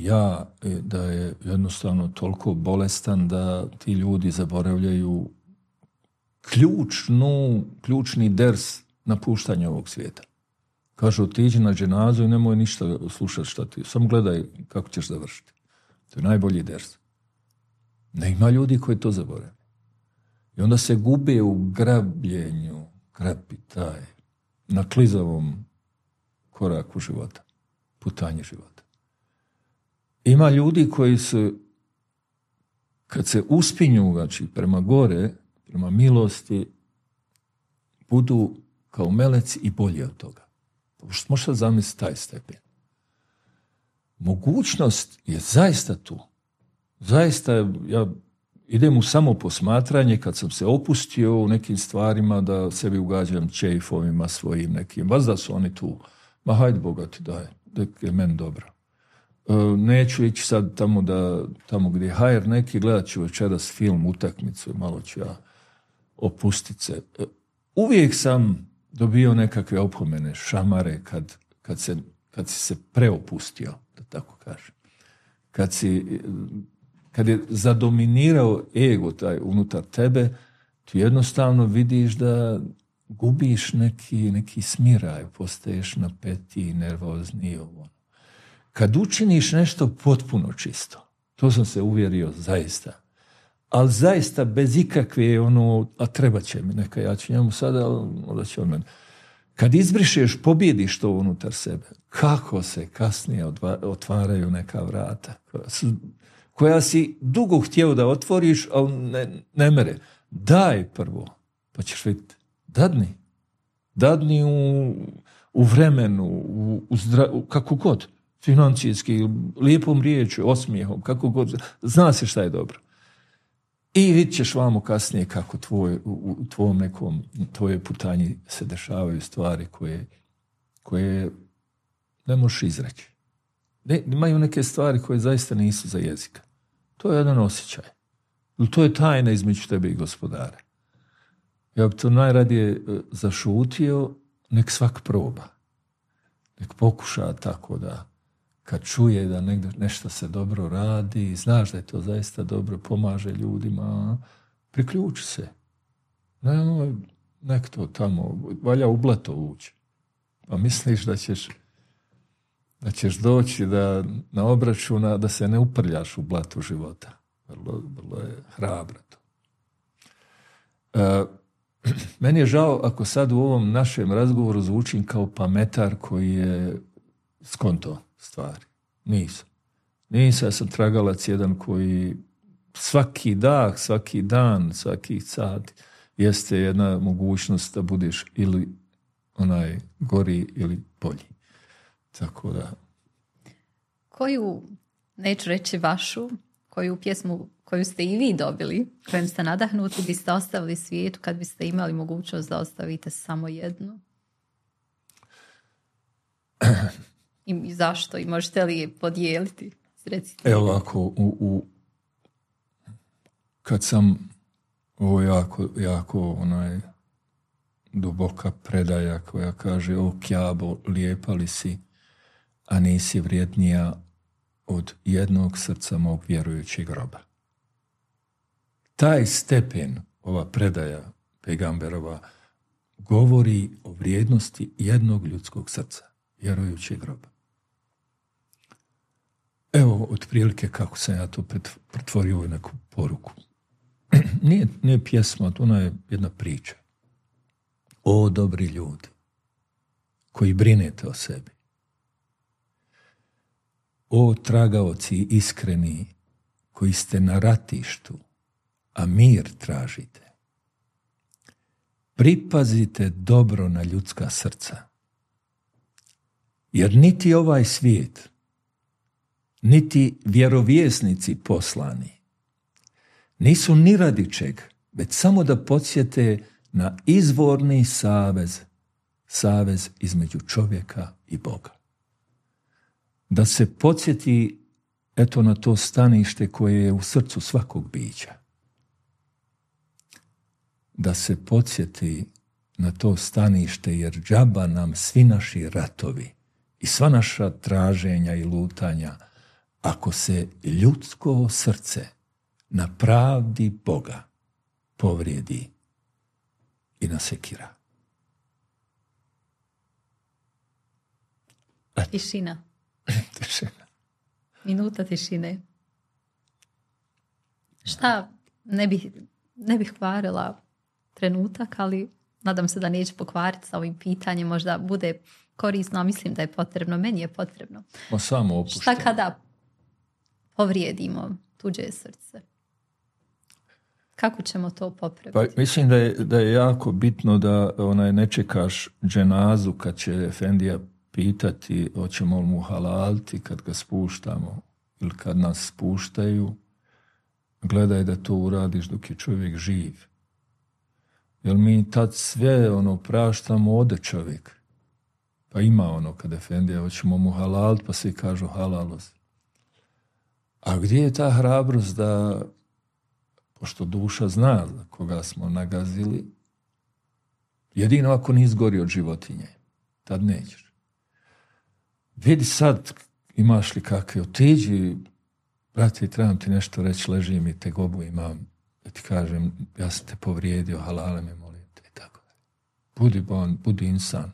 ja, da je jednostavno toliko bolestan da ti ljudi zaboravljaju ključni ders napuštanja ovog svijeta. Kaže, otiđi na dženazu i nemoj ništa slušati šta ti. Samo gledaj kako ćeš završiti. To je najbolji ders. Ne ima ljudi koji to zaborave. I onda se gube u grabljenju, grabitaj, na klizavom koraku života, putanji života. Ima ljudi koji su, kad se uspinju, znači, prema gore, prema milosti, budu kao meleci i bolji od toga. Možete zamisliti taj stepen. Mogućnost je zaista tu. Zaista, ja idem u samo posmatranje kad sam se opustio u nekim stvarima da sebi ugađam čejfovima svojim nekim. Vas da su oni tu. Ma hajde Boga ti daj, da je meni dobro. Neću ići sad tamo gdje je hajer neki, gledat ću večeras film, utakmicu i malo ću ja opustit se. Uvijek sam dobio nekakve opomene, šamare kad si se preopustio, da tako kažem. Kad je zadominirao ego taj unutar tebe, ti jednostavno vidiš da gubiš neki smiraj, postaješ napetiji, nervozni. Kad učiniš nešto potpuno čisto, to sam se uvjerio zaista, ali zaista bez ikakve a treba će mi, neka ja ću njemu sada, onda će on meni. Kad izbrišeš, pobjediš to unutar sebe, kako se kasnije otvaraju neka vrata koja si dugo htio da otvoriš, ali ne mere. Daj prvo, pa ćeš vidjeti. Dadni u vremenu, kako god, financijski, lijepom riječu, osmijehom, kako god, zna se šta je dobro. I vidit ćeš vamo kasnije kako u tvojom nekom, tvojoj putanji se dešavaju stvari koje ne možeš izreći. Imaju neke stvari koje zaista nisu za jezika. To je jedan osjećaj. To je tajna između tebe i Gospodara. Ja bi to najradije zašutio, nek svak proba. Nek pokuša tako da kad čuje da nešto se dobro radi, znaš da je to zaista dobro, pomaže ljudima, priključi se. Nek to tamo, valja u blato ući. Pa misliš da ćeš doći na obračuna da se ne uprljaš u blatu života. Vrlo je hrabro to. Meni je žao ako sad u ovom našem razgovoru zvučim kao pametar koji je skonto stvari. Nisam. Ja sam tragalac jedan koji svaki dah, svaki dan, svaki sat jeste jedna mogućnost da budeš ili onaj gori ili bolji. Tako da. Koju, neću reći vašu, koju pjesmu koju ste i vi dobili, kojom ste nadahnuti, biste ostavili svijetu kad biste imali mogućnost da ostavite samo jednu? I zašto? I možete li je podijeliti? Recite. Evo ovako, kad sam ovo jako duboka predaja koja kaže: o kjabo, lijepa li si, a nisi vrijednija od jednog srca mog vjerujućeg roba. Taj stepen, ova predaja Pejgamberova, govori o vrijednosti jednog ljudskog srca, vjerujućeg roba. Evo, otprilike kako sam ja to pretvorio u neku poruku. Nije pjesma, ona je jedna priča. O dobri ljudi koji brinete o sebi. O tragaoci iskreni koji ste na ratištu, a mir tražite. Pripazite dobro na ljudska srca. Jer niti ovaj svijet, niti vjerovjesnici poslani nisu ni radi čeg, već samo da podsjete na izvorni savez između čovjeka i Boga. Da se podsjeti eto na to stanište koje je u srcu svakog bića. Da se podsjeti na to stanište, jer džaba nam svi naši ratovi i sva naša traženja i lutanja, ako se ljudsko srce na pravdi Boga povrijedi, i nasekira. Tišina. Minuta tišine. Šta ne bih kvarila trenutak, ali nadam se da neće pokvariti sa ovim pitanjem. Možda bude korisno, a mislim da je potrebno. Meni je potrebno. Samo opušteno. Šta kada povrijedimo tuđe srce? Kako ćemo to popraviti? Pa, mislim da je jako bitno da ne čekaš dženazu kad će efendija pitati hoćemo li mu halaliti kad ga spuštamo ili kad nas spuštaju. Gledaj da to uradiš dok je čovjek živ. Jer mi tad sve praštamo, ode čovjek. Pa ima kad efendija hoćemo mu halaliti, pa svi kažu halalost. A gdje je ta hrabrost da, pošto duša zna koga smo nagazili, jedino ako nisi gori od životinje, tad nećeš. Vidi sad, imaš li kakve, otiđi, brate, trebam ti nešto reći, ležim i tegobu imam, da ti kažem, ja sam te povrijedio, halale me, molim te, i tako. Budi insan.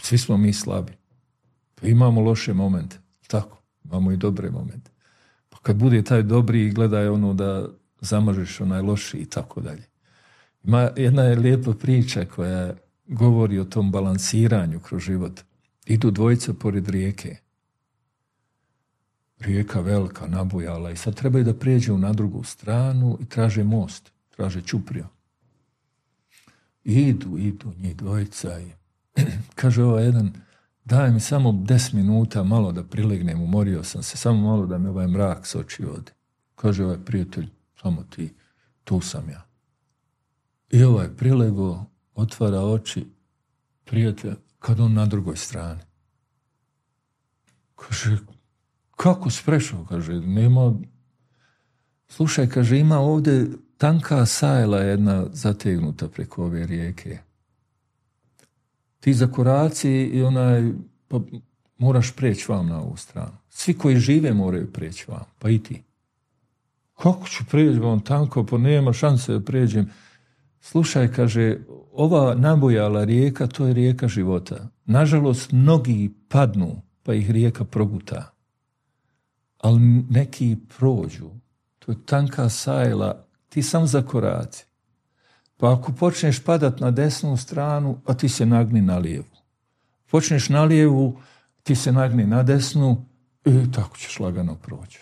Svi smo mi slabi. Pa imamo loše momente, tako, imamo i dobre momente. Pa kad bude taj dobri, gledaj da zamažeš onaj loši i tako dalje. Ima jedna je lijepa priča koja govori o tom balansiranju kroz život. Idu dvojica pored rijeke. Rijeka velika, nabujala i sad trebaju da prijeđu na drugu stranu i traže most, traže čupriju. Idu njih dvojica i kaže ovaj jedan, daj mi samo 10 minuta malo da prilegnem, umorio sam se, samo malo da mi ovaj mrak s oči ode. Kaže ovaj prijatelj, samo ti, tu sam ja. I ovaj prilego, otvara oči, prijatelj, kad on na drugoj strani. Kaže, kako si prešao? Kaže, nema... Slušaj, kaže, ima ovdje tanka sajla jedna zategnuta preko ove rijeke. Ti zakoraci i pa moraš preći vam na ovu stranu. Svi koji žive moraju preći vam, pa i ti. Kako ću preći vam tanko, pa nema šanse da pređem. Slušaj, kaže, ova nabujala rijeka, to je rijeka života. Nažalost, mnogi padnu, pa ih rijeka proguta. Ali neki prođu. To je tanka sajla, ti sam zakoraci. Pa ako počneš padat na desnu stranu, a ti se nagni na lijevu. Počneš na lijevu, ti se nagni na desnu i tako ćeš lagano proći.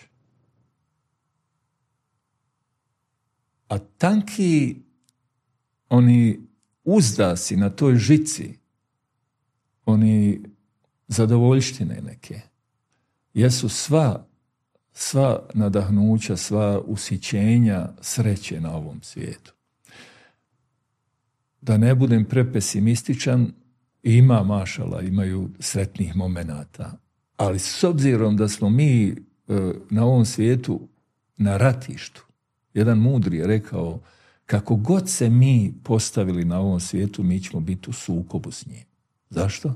A tanki oni uzdasi na toj žici, oni zadovoljštine neke, jesu sva nadahnuća, sva usićenja sreće na ovom svijetu. Da ne budem prepesimističan, imaju sretnih momenata, ali s obzirom da smo mi na ovom svijetu na ratištu, jedan mudri je rekao, kako god se mi postavili na ovom svijetu, mi ćemo biti u sukobu s njim. Zašto?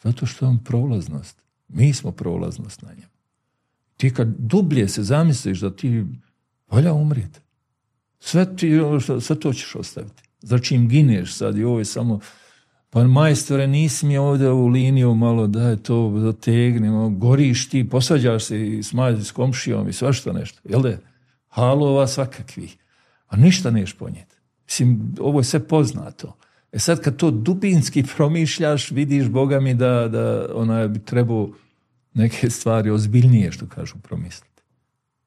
Zato što je on prolaznost. Mi smo prolaznost na njemu. Ti kad dublje se zamisliš da ti valja umrijeti, sve to ćeš ostaviti. Za čim gineš sad i ovo je samo, pa majstore, nisi mi ovdje u liniju malo, daj to zategnemo, goriš ti, posvađaš se i smađaš s komšijom i svašta nešto. Jel da? Halova svakakvih. A ništa neš ponijeti. Mislim, ovo je sve poznato. Sad kad to dubinski promišljaš, vidiš, Boga mi, da bi trebao neke stvari ozbiljnije, što kažu, promisliti.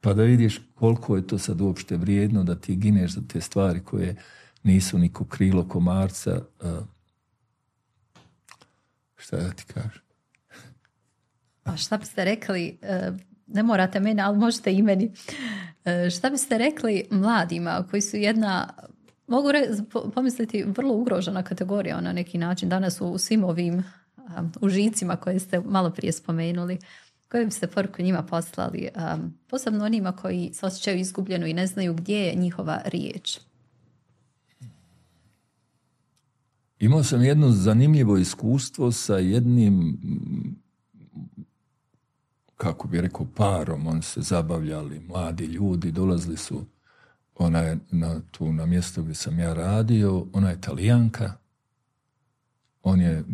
Pa da vidiš koliko je to sad uopšte vrijedno da ti gineš za te stvari koje nisu niko krilo komarca. Šta da ti kažem? A šta biste rekli, ne morate mene, ali možete i meni, šta biste rekli mladima koji su jedna, mogu pomisliti, vrlo ugrožena kategorija na neki način danas u svim ovim užicima koje ste malo prije spomenuli, koje biste poruku njima poslali, posebno onima koji se osjećaju izgubljeno i ne znaju gdje je njihova riječ? Imao sam jedno zanimljivo iskustvo sa jednim, kako bi rekao, parom. Oni se zabavljali, mladi ljudi, dolazili su ona je na mjestu gdje sam ja radio, ona je Talijanka, on je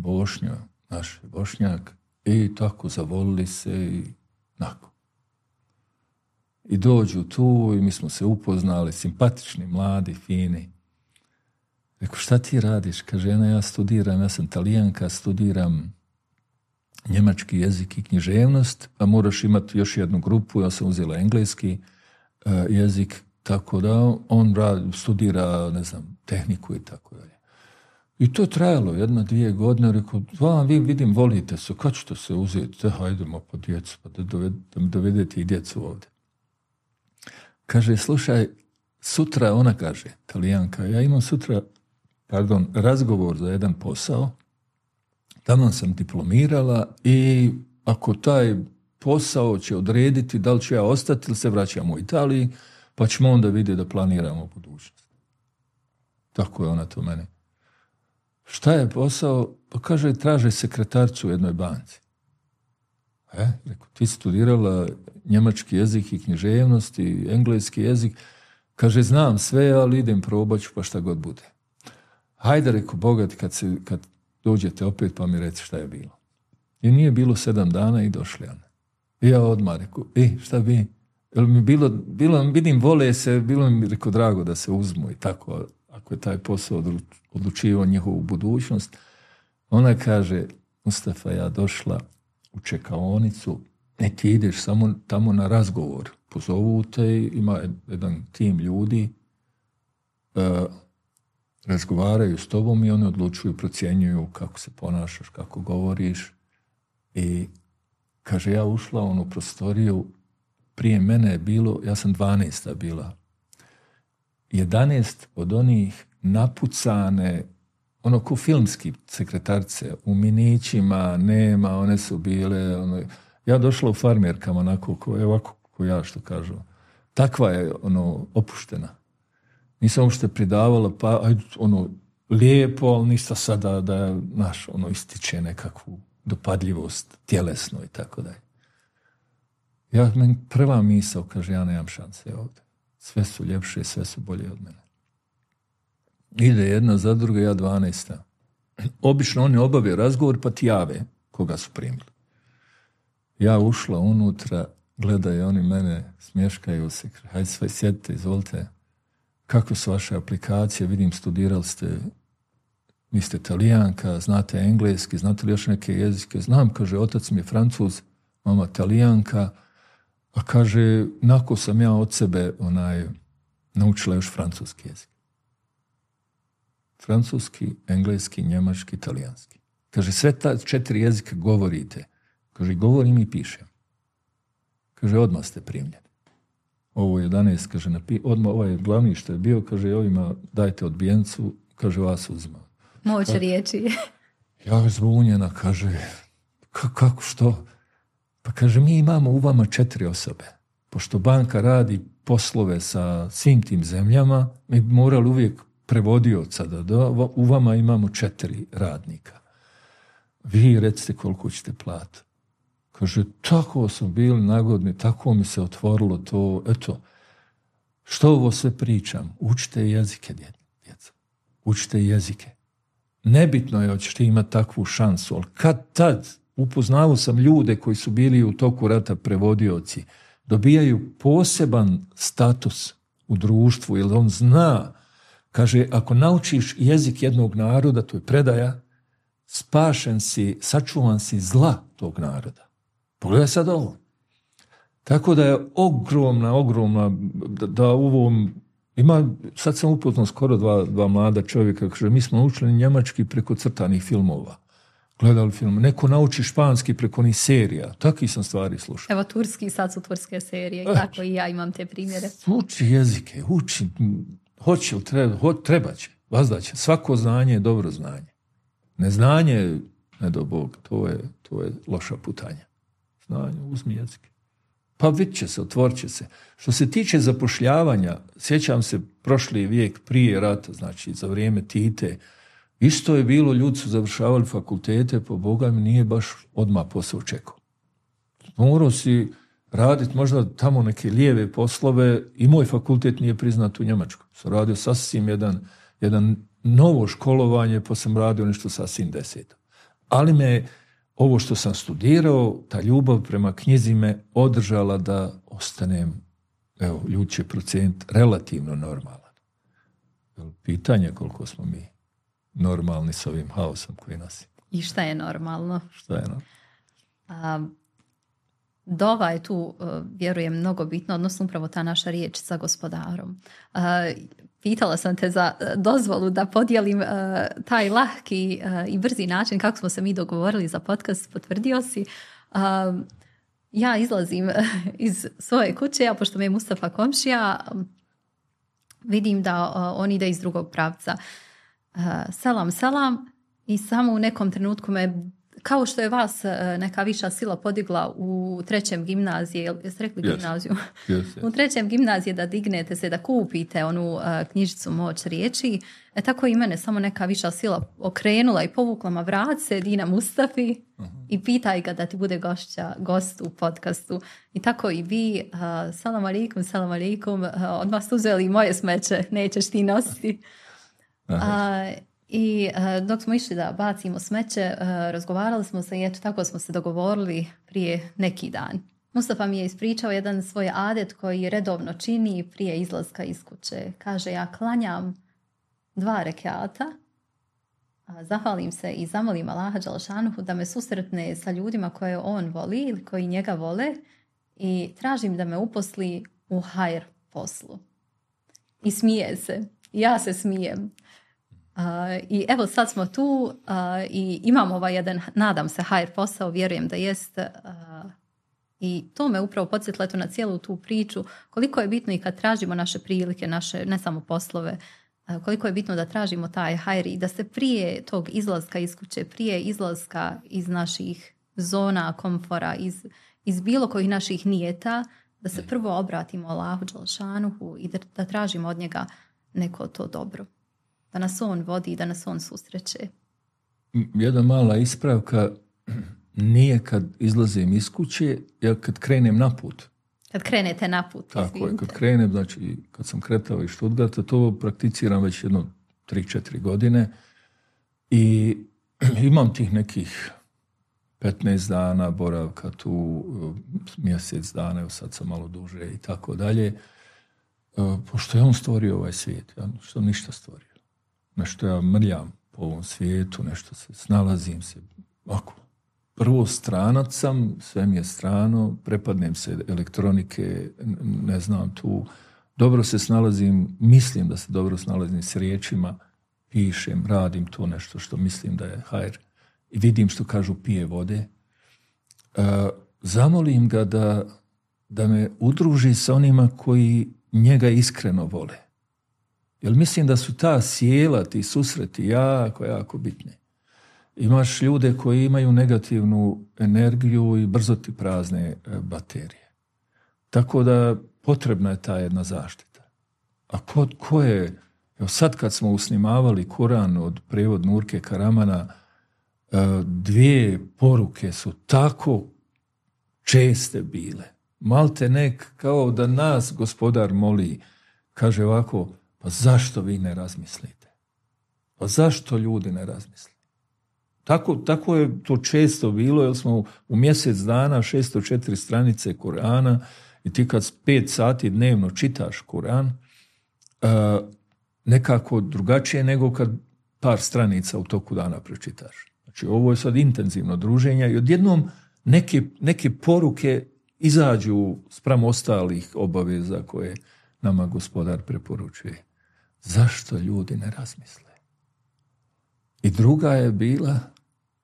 naš Bošnjak, i tako zavolili se i nakon. I dođu tu i mi smo se upoznali, simpatični, mladi, fini. Rekao, šta ti radiš? Kaže, ja studiram, ja sam Talijanka, studiram njemački jezik i književnost, a moraš imati još jednu grupu, ja sam uzela engleski jezik, tako da on studira, ne znam, tehniku i tako dalje. I to je trajalo 1-2 godine, rekao, vi vidim, volite se, kad ćete se uzeti? Hajdemo po djecu, pa da mi dovedete i djecu ovdje. Kaže, slušaj, sutra, ona kaže, Talijanka, ja imam sutra, razgovor za jedan posao, tamo sam diplomirala i ako taj posao će odrediti da li ću ja ostati ili se vraćam u Italiji, pa ćemo onda vidjeti da planiramo budućnost. Tako je ona to meni. Šta je posao? Pa kaže, traže sekretarcu u jednoj banci. Rekao, ti studirala njemački jezik i književnost i engleski jezik. Kaže, znam sve, ali idem probat ću pa šta god bude. Hajde, rekao, bogat, kad dođete opet pa mi reci šta je bilo. I nije bilo 7 dana i došli ona. I ja odmah rekao, šta bi? Jel mi bilo, vidim, vole se, bilo mi, rekao, drago da se uzmu i tako, ako je taj posao odlučivao njihovu budućnost. Ona kaže, Mustafa, ja došla u čekaonicu, ti ideš samo tamo na razgovor. Pozovu te, ima jedan tim ljudi, razgovaraju s tobom i oni odlučuju, procjenjuju kako se ponašaš, kako govoriš. I kaže, ja ušla u onu prostoriju, prije mene je bilo, ja sam 12. bila, 11 od onih napucane, ono ko filmski sekretarce, u minićima, nema, one su bile, ja došla u farmerkama, onako, ovako ko ja što kažu. Takva je, opuštena. Nisam uopšte pridavala, pa, lijepo, ali ništa sada da, ističe nekakvu dopadljivost, tjelesno i tako dalje. Meni prva misao, kaže, ja nemam šanse ovdje. Sve su ljepše, sve su bolje od mene. Ide jedna za druga, ja 12. Obično oni obave razgovor, pa ti jave koga su primili. Ja ušla unutra, gledaju oni mene, smješkaju se, hajde sve sjedite, izvolite. Kakve su vaše aplikacije? Vidim, studirali ste, vi ste Talijanka, znate engleski, znate li još neke jezike? Znam, kaže, otac mi je Francuz, mama Talijanka, a kaže, nakon sam ja od sebe naučila još francuski jezik. Francuski, engleski, njemački, talijanski. Kaže, sve ta 4 jezika govorite. Kaže, govorim i pišem. Kaže, odmah ste primljeni. Ovo 11, kaže, odmah ovaj glavni što je bio, kaže, ovima dajte odbijencu, kaže, vas uzima. Moć riječi. Ja zbunjena, kaže, kako, što? Pa kaže, mi imamo u vama 4 osobe. Pošto banka radi poslove sa svim tim zemljama, mi bi morali uvijek prevodioca u vama imamo 4 radnika. Vi recite koliko ćete platiti. Kaže, tako sam bili nagodni, tako mi se otvorilo to, eto, što ovo sve pričam? Učite jezike, djeca. Učite jezike. Nebitno je hoćete imati takvu šansu, ali kad tad upoznao sam ljude koji su bili u toku rata prevodioci, dobijaju poseban status u društvu, jer on zna, kaže, ako naučiš jezik jednog naroda, to je predaja, spašen si, sačuvan si zla tog naroda. Pogledaj sad ovo. Tako da je ogromna, da u ovom, sad sam upoznao skoro dva mlada čovjeka, kaže, mi smo učili njemački preko crtanih filmova. Gledali film. Neko nauči španski preko onih serija. Takvih sam stvari slušao. Evo, turski, sad su turske serije. Tako i ja imam te primjere. Uči jezike, uči. Hoće li treba će, vazda će. Svako znanje je dobro znanje. Neznanje, ne do Bog, to je loša putanja. Znanje, uzmi jezike. Pa vidit će se, otvorit će se. Što se tiče zapošljavanja, sjećam se prošli vijek prije rata, znači za vrijeme Tite, isto je bilo, ljudi su završavali fakultete, po Boga mi nije baš odmah posao čekao. Morao si raditi možda tamo neke lijeve poslove i moj fakultet nije priznat u Njemačkoj. Sam radio sasvim jedan novo školovanje, pa sam radio nešto sasvim deseto. Ali me ovo što sam studirao, ta ljubav prema knjizi me održala da ostanem, evo, ljudi će proceniti, relativno normalan. Pitanje koliko smo mi normalni s ovim haosom koji nas ima. I šta je normalno? Šta je normalno? Dova je tu, vjerujem, mnogo bitno, odnosno upravo ta naša riječ sa gospodarom. Pitala sam te za dozvolu da podijelim taj lahki i brzi način kako smo se mi dogovorili za podcast, potvrdio si. Ja izlazim iz svoje kuće, a pošto me je Mustafa komšija, vidim da on ide iz drugog pravca. Selam i samo u nekom trenutku me, kao što je vas neka viša sila podigla u 3. gimnazije, jeste rekli gimnaziju? Yes. U 3. gimnazije da dignete se, da kupite onu knjižicu Moć riječi, tako i mene samo neka viša sila okrenula i povukla ma vrat se Edina Mustafi i pitaj ga da ti bude gost u podcastu. I tako i vi, salam alaikum, odmah ste uzeli moje smeće, nećeš ti nositi. I dok smo išli da bacimo smeće, razgovarali smo se i eto tako smo se dogovorili prije neki dan. Mustafa mi je ispričao jedan svoj adet koji redovno čini prije izlaska iz kuće. Kaže, ja klanjam 2 rekata, zahvalim se i zamolim Allaha Đalešanuhu da me susretne sa ljudima koje on voli ili koji njega vole i tražim da me uposli u hajr poslu. I smije se. Ja se smijem. I evo sad smo tu i imamo ovaj jedan, nadam se, hajr posao, vjerujem da jest. I to me upravo podsjetilo na cijelu tu priču, koliko je bitno i kad tražimo naše prilike, naše ne samo poslove, koliko je bitno da tražimo taj hajr i da se prije tog izlaska iz kuće, prije izlaska iz naših zona komfora, iz bilo kojih naših nijeta, da se prvo obratimo Allahu Đalešanuhu i da tražimo od njega neko to dobro. Da nas on vodi, da nas on susreće. Jedna mala ispravka, nije kad izlazim iz kuće, ja kad krenem na put. Kad krenete na put. Tako je, kad krenem, znači kad sam kretao iz Stuttgarta, to prakticiram već 3-4 godine i imam tih nekih 15 dana boravka tu, mjesec dana, evo sad sam malo duže i tako dalje. Pošto je on stvorio ovaj svijet, ja što ništa stvorio. Nešto ja mrljam po ovom svijetu, nešto se snalazim se, ako prvo stranac sam, sve mi je strano, prepadnem se elektronike, ne znam tu, dobro se snalazim, mislim da se dobro snalazim s riječima, pišem, radim to nešto što mislim da je hajr i vidim što kažu pije vode. Zamolim ga da me udruži sa onima koji njega iskreno vole. Jer mislim da su ta sjela, ti susreti jako bitne. Imaš ljude koji imaju negativnu energiju i brzo ti prazne baterije. Tako da potrebna je ta jedna zaštita. A ko je, evo sad kad smo usnimavali Kuran od prijevod Nurke Karamana, 2 poruke su tako česte bile. Malte nek kao da nas gospodar moli, kaže ovako, pa zašto vi ne razmislite? Pa zašto ljudi ne razmisle? Tako je to često bilo, jer smo u mjesec dana 604 stranice Kurana i ti kad 5 sati dnevno čitaš Kuran, nekako drugačije nego kad par stranica u toku dana pročitaš. Znači ovo je sad intenzivno druženje i odjednom neke poruke izađu spram ostalih obaveza koje nama gospodar preporučuje. Zašto ljudi ne razmisle? I druga je bila,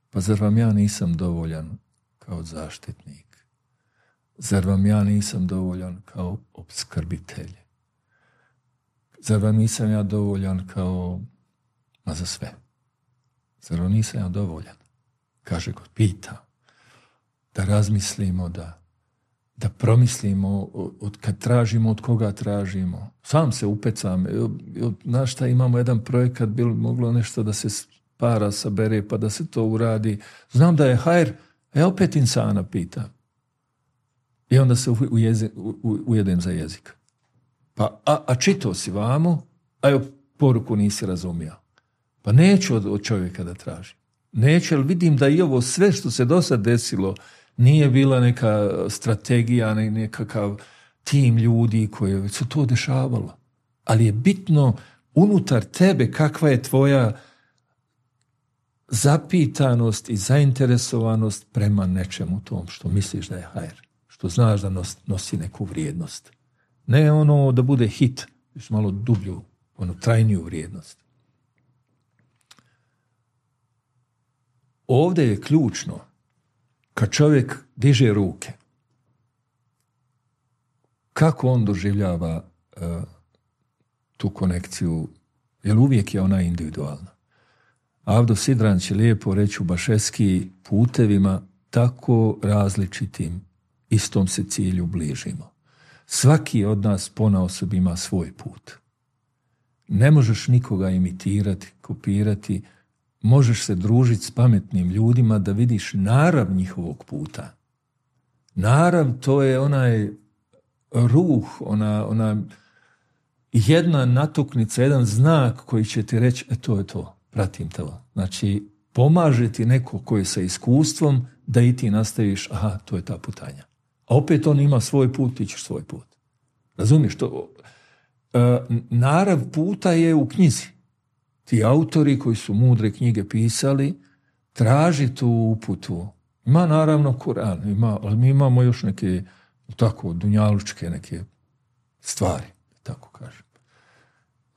pa zar vam ja nisam dovoljan kao zaštitnik? Zar vam ja nisam dovoljan kao opskrbitelj? Zar vam nisam ja dovoljan kao za sve? Zar vam nisam ja dovoljan? Kaže God, pita. Da razmislimo, da promislimo kad tražimo, od koga tražimo. Sam se upecam. Znaš šta, imamo jedan projekat, bilo moglo nešto da se para sabere pa da se to uradi. Znam da je hajr, opet insana pitam. I onda se ujedem za jezik. Pa, a čitao si vamo, a joj poruku nisi razumio. Pa neću od čovjeka da tražim. Neću, jer vidim da i ovo sve što se do sad desilo nije bila neka strategija, nekakav tim ljudi koji su to dešavalo. Ali je bitno unutar tebe kakva je tvoja zapitanost i zainteresovanost prema nečemu tom što misliš da je hajr, što znaš da nosi neku vrijednost. Ne ono da bude hit, još malo dublju, trajniju vrijednost. Ovdje je ključno kad čovjek diže ruke, kako on doživljava tu konekciju, jer uvijek je ona individualna. Avdo Sidran će lijepo reći u Bašeski, putevima tako različitim istom se cilju bližimo. Svaki od nas ponaosob ima svoj put. Ne možeš nikoga imitirati, kopirati, možeš se družiti s pametnim ljudima da vidiš narav njihovog puta. Narav, to je onaj ruh, ona jedna natuknica, jedan znak koji će ti reći, to je to, pratim to. Znači, pomaže ti neko koji je sa iskustvom da i ti nastaviš, aha, to je ta putanja. A opet on ima svoj put, ti ćeš svoj put. Razumiješ to? Narav puta je u knjizi. Ti autori koji su mudre knjige pisali, traži tu uputu. Ima naravno Kur'an, ali mi imamo još neke tako dunjalučke neke stvari, tako kažem.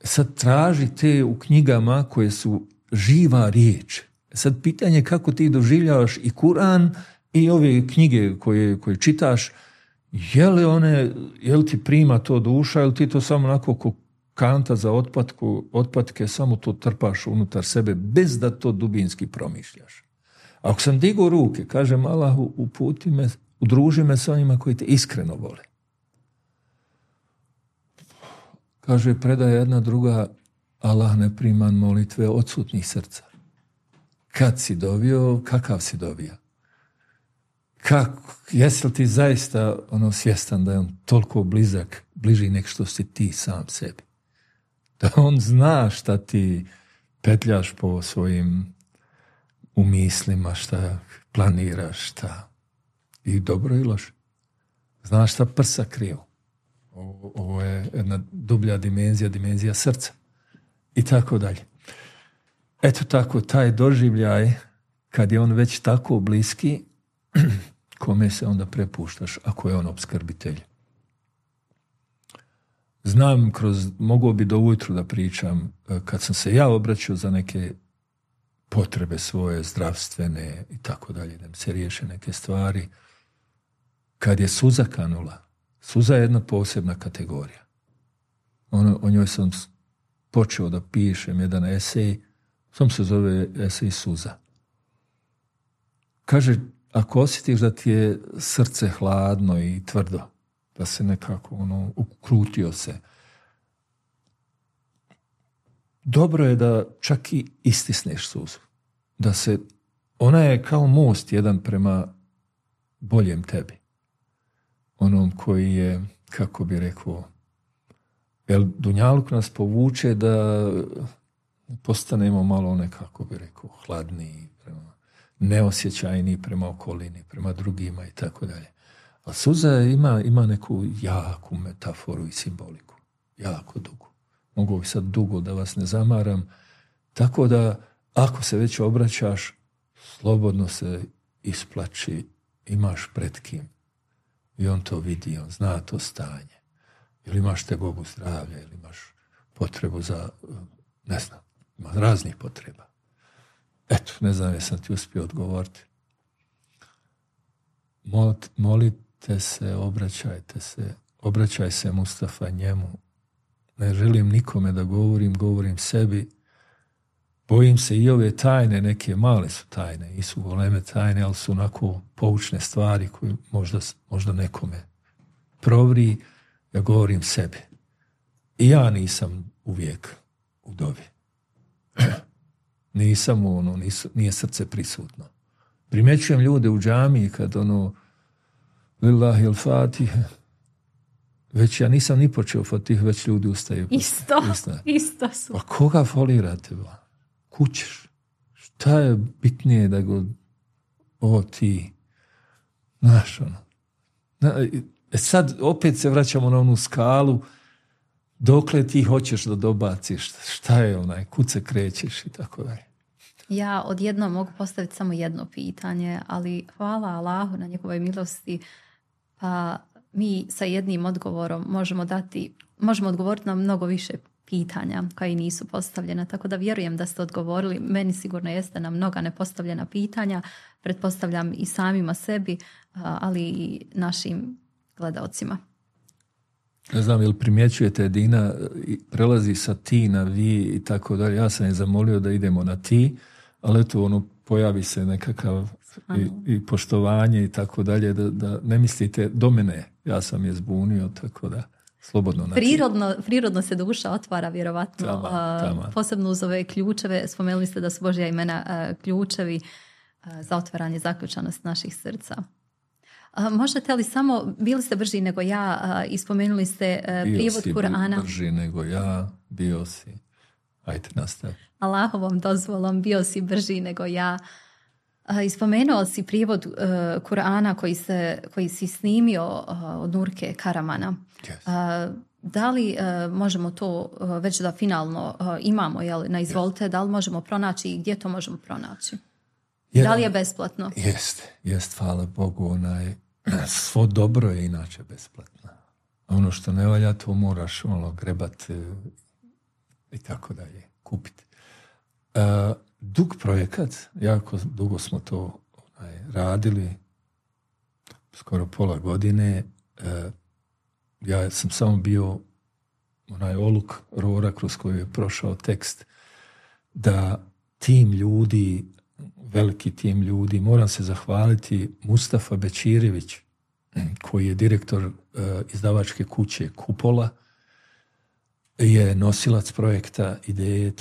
Sad traži te u knjigama koje su živa riječ. Sad pitanje je kako ti doživljavaš i Kur'an i ove knjige koje čitaš, je li ti prima to duša ili ti to samo onako ko kanta za otpatke, samo to trpaš unutar sebe bez da to dubinski promišljaš. Ako sam digao ruke, kažem Allahu, uputi me, udruži me s onima koji te iskreno vole. Kaže, predaje jedna druga, Allah ne prima molitve odsutnih srca. Kad si dovio, kakav si dovio? Jesi li ti zaista svjestan da je on toliko blizak, bliži nek što si ti sam sebi? Da on zna šta ti petljaš po svojim umislima, šta planiraš, šta i dobro i loše. Znaš šta prsa kriju. Ovo je jedna dublja dimenzija srca. I tako dalje. Eto tako, taj doživljaj, kad je on već tako bliski, kome se onda prepuštaš ako je on opskrbitelj. Znam, mogao bi do ujutru da pričam, kad sam se ja obraćao za neke potrebe svoje, zdravstvene i tako dalje, da mi se riješe neke stvari, kad je suza kanula, suza je jedna posebna kategorija. O njoj sam počeo da pišem jedan esej, sam se zove esej Suza. Kaže, ako osjetiš da ti je srce hladno i tvrdo, da se nekako ukrutio se, dobro je da čak i istisneš suzu. Ona je kao most jedan prema boljem tebi. Onom koji je, kako bi rekao, jer dunjaluk nas povuče da postanemo malo nekako bi rekao hladniji, neosjećajniji prema okolini, prema drugima i tako dalje. A suza ima neku jaku metaforu i simboliku. Jako dugu. Mogu bi sad dugo da vas ne zamaram. Tako da, ako se već obraćaš, slobodno se isplači, imaš pred kim. I on to vidi, on zna to stanje. Ili imaš tegobu zdravlja, ili imaš potrebu za, ne znam, ima raznih potreba. Eto, ne znam jesam ti uspio odgovoriti. Molite se, obraćajte se, obraćaj se Mustafa njemu. Ne želim nikome da govorim sebi. Bojim se i ove tajne, neke male su tajne, nisu goleme tajne, ali su onako poučne stvari koje možda nekome provri. Ja govorim sebi. I ja nisam uvijek u dobi. Nisam nije srce prisutno. Primjećujem ljude u džamiji kad Lillahi al-Fatiha. Već ja nisam ni počeo Fatih, već ljudi ustaju. Isto su. Pa koga folirate? Kućeš. Šta je bitnije da go ti znaš ono. Sad opet se vraćamo na onu skalu dokle ti hoćeš da dobaciš. Šta je kud se krećeš i tako dalje. Ja odjednom mogu postaviti samo jedno pitanje, ali hvala Allahu na njegovoj milosti, pa mi sa jednim odgovorom možemo odgovoriti na mnogo više pitanja koja i nisu postavljena, tako da vjerujem da ste odgovorili. Meni sigurno jeste na mnoga nepostavljena pitanja, pretpostavljam i samima sebi, ali i našim gledaocima. Ne znam, jel primjećujete, Edina prelazi sa ti na vi i tako dalje. Ja sam je zamolio da idemo na ti, ali eto, pojavi se nekakav i poštovanje i tako dalje, da ne mislite do mene, ja sam je zbunio, tako da slobodno. Prirodno se duša otvara, vjerovatno, posebno uz ove ključeve. Spomenuli ste da su Božja imena ključevi za otvaranje zaključanost naših srca. Možete li samo, bili ste brži nego ja, i spomenuli ste prijevod Kur'ana. Bio si brži nego ja, bio si. Ajde, nastavi. Allahovom dozvolom bio si brži nego ja. Ispomenuo si prijevod Kur'ana koji si snimio od Nurke Karamana. Yes. Da li možemo to već da finalno imamo na izvolite, da li možemo pronaći i gdje to možemo pronaći? Da li je besplatno? Jest, hvala Bogu. Svo dobro je inače besplatno. Ono što ne valja, to moraš grebati i tako dalje, kupiti. Dug projekat, jako dugo smo to radili, skoro pola godine. Ja sam samo bio oluk rora kroz koju je prošao tekst, da tim ljudi, veliki tim ljudi, moram se zahvaliti Mustafa Bećirević, koji je direktor izdavačke kuće Kupola, je nosilac projekta ideje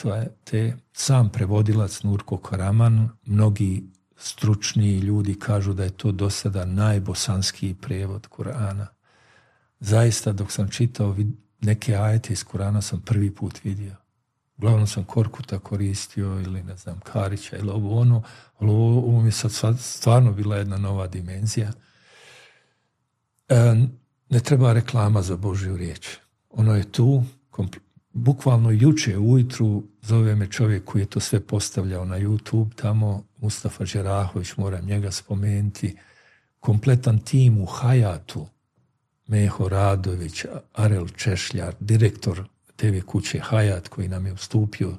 te, sam prevodilac Nurko Karaman. Mnogi stručni ljudi kažu da je to do sada najbosanskiji prevod Kur'ana. Zaista, dok sam čitao neke ajete iz Kur'ana, sam prvi put vidio. Uglavnom sam Korkuta koristio ili ne znam Karića ili ali ovo mi je sad stvarno bila jedna nova dimenzija. Ne treba reklama za Božju riječ. Ono je tu, bukvalno juče ujutru zove me čovjek koji je to sve postavljao na YouTube tamo, Mustafa Đerahović, moram njega spomenuti, kompletan tim u Hayatu, Meho Radović, Arel Češljar, direktor TV kuće Hayat koji nam je ustupio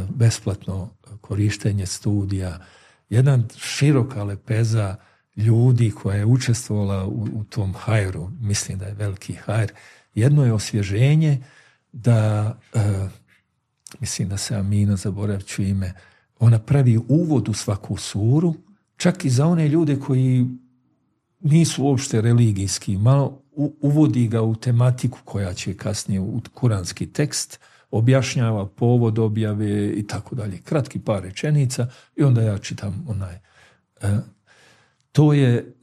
besplatno korištenje studija, jedan široka lepeza ljudi koja je učestvovala u tom hajru, mislim da je veliki hajr. Jedno je osvježenje da, mislim da se Amina, zaboravit ću ime, ona pravi uvod u svaku suru, čak i za one ljude koji nisu uopšte religijski, malo uvodi ga u tematiku koja će kasnije u kuranski tekst, objašnjava povod objave i tako dalje. Kratki par rečenica i onda ja čitam to je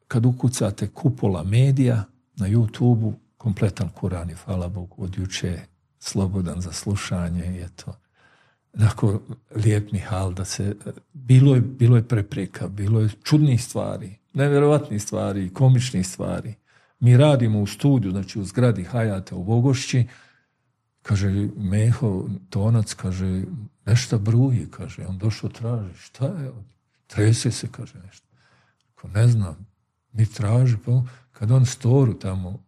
kad ukucate Kupola medija na YouTube-u, kompletan Kuran je, hvala Bogu, od juče slobodan za slušanje. Je to onako lijep nihal da se... Bilo je prepreka, bilo je čudnih stvari, nevjerovatnih stvari, komičnih stvari. Mi radimo u studiju, znači u zgradi Hayata u Vogošći, kaže Meho, tonac, kaže, nešto bruji, kaže, on došao traži, šta je? Trese se, kaže nešto. Ko ne znam, mi traži, pa kad on storu tamo,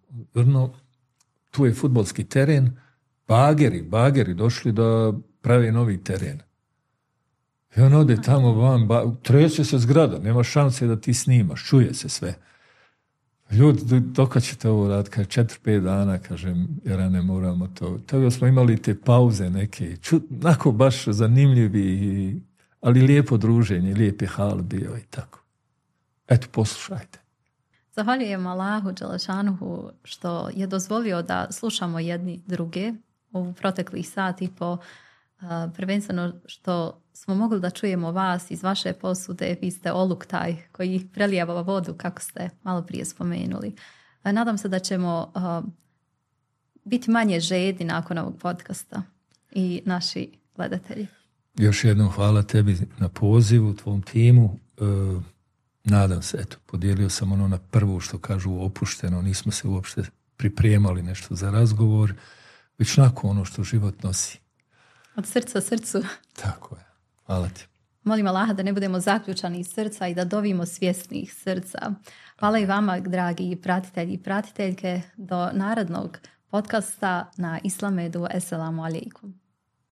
tu je fudbalski teren, bageri došli da prave novi teren. I on ode tamo van, trese se zgrada, nema šanse da ti snimaš, čuje se sve. Ljudi, dok ćete ovo raditi, kaže 4-5 dana, kažem, jer ne moramo to. Tako smo imali te pauze neke, onako baš zanimljivi, ali lijepo druženje, lijepi hal bio i tako. Eto, poslušajte. Zahvaljujem Allahu Đelešanuhu što je dozvolio da slušamo jedni druge u proteklih sat i po. prvenstveno što smo mogli da čujemo vas iz vaše posude. Vi ste oluk taj koji prelijeva vodu, kako ste malo prije spomenuli. Nadam se da ćemo biti manje žedni nakon ovog podcasta i naši gledatelji. Još jednom hvala tebi na pozivu, tvom timu. Nadam se, eto, podijelio sam ono na prvu što kažu opušteno, nismo se uopšte pripremali nešto za razgovor, već nakon ono što život nosi. Od srca srcu. Tako je. Hvala ti. Molim Allaha da ne budemo zaključani iz srca i da dovimo svjesnih srca. Hvala i vama, dragi pratitelji i pratiteljke, do narednog podcasta na Islamedu. Esselamu alaikum.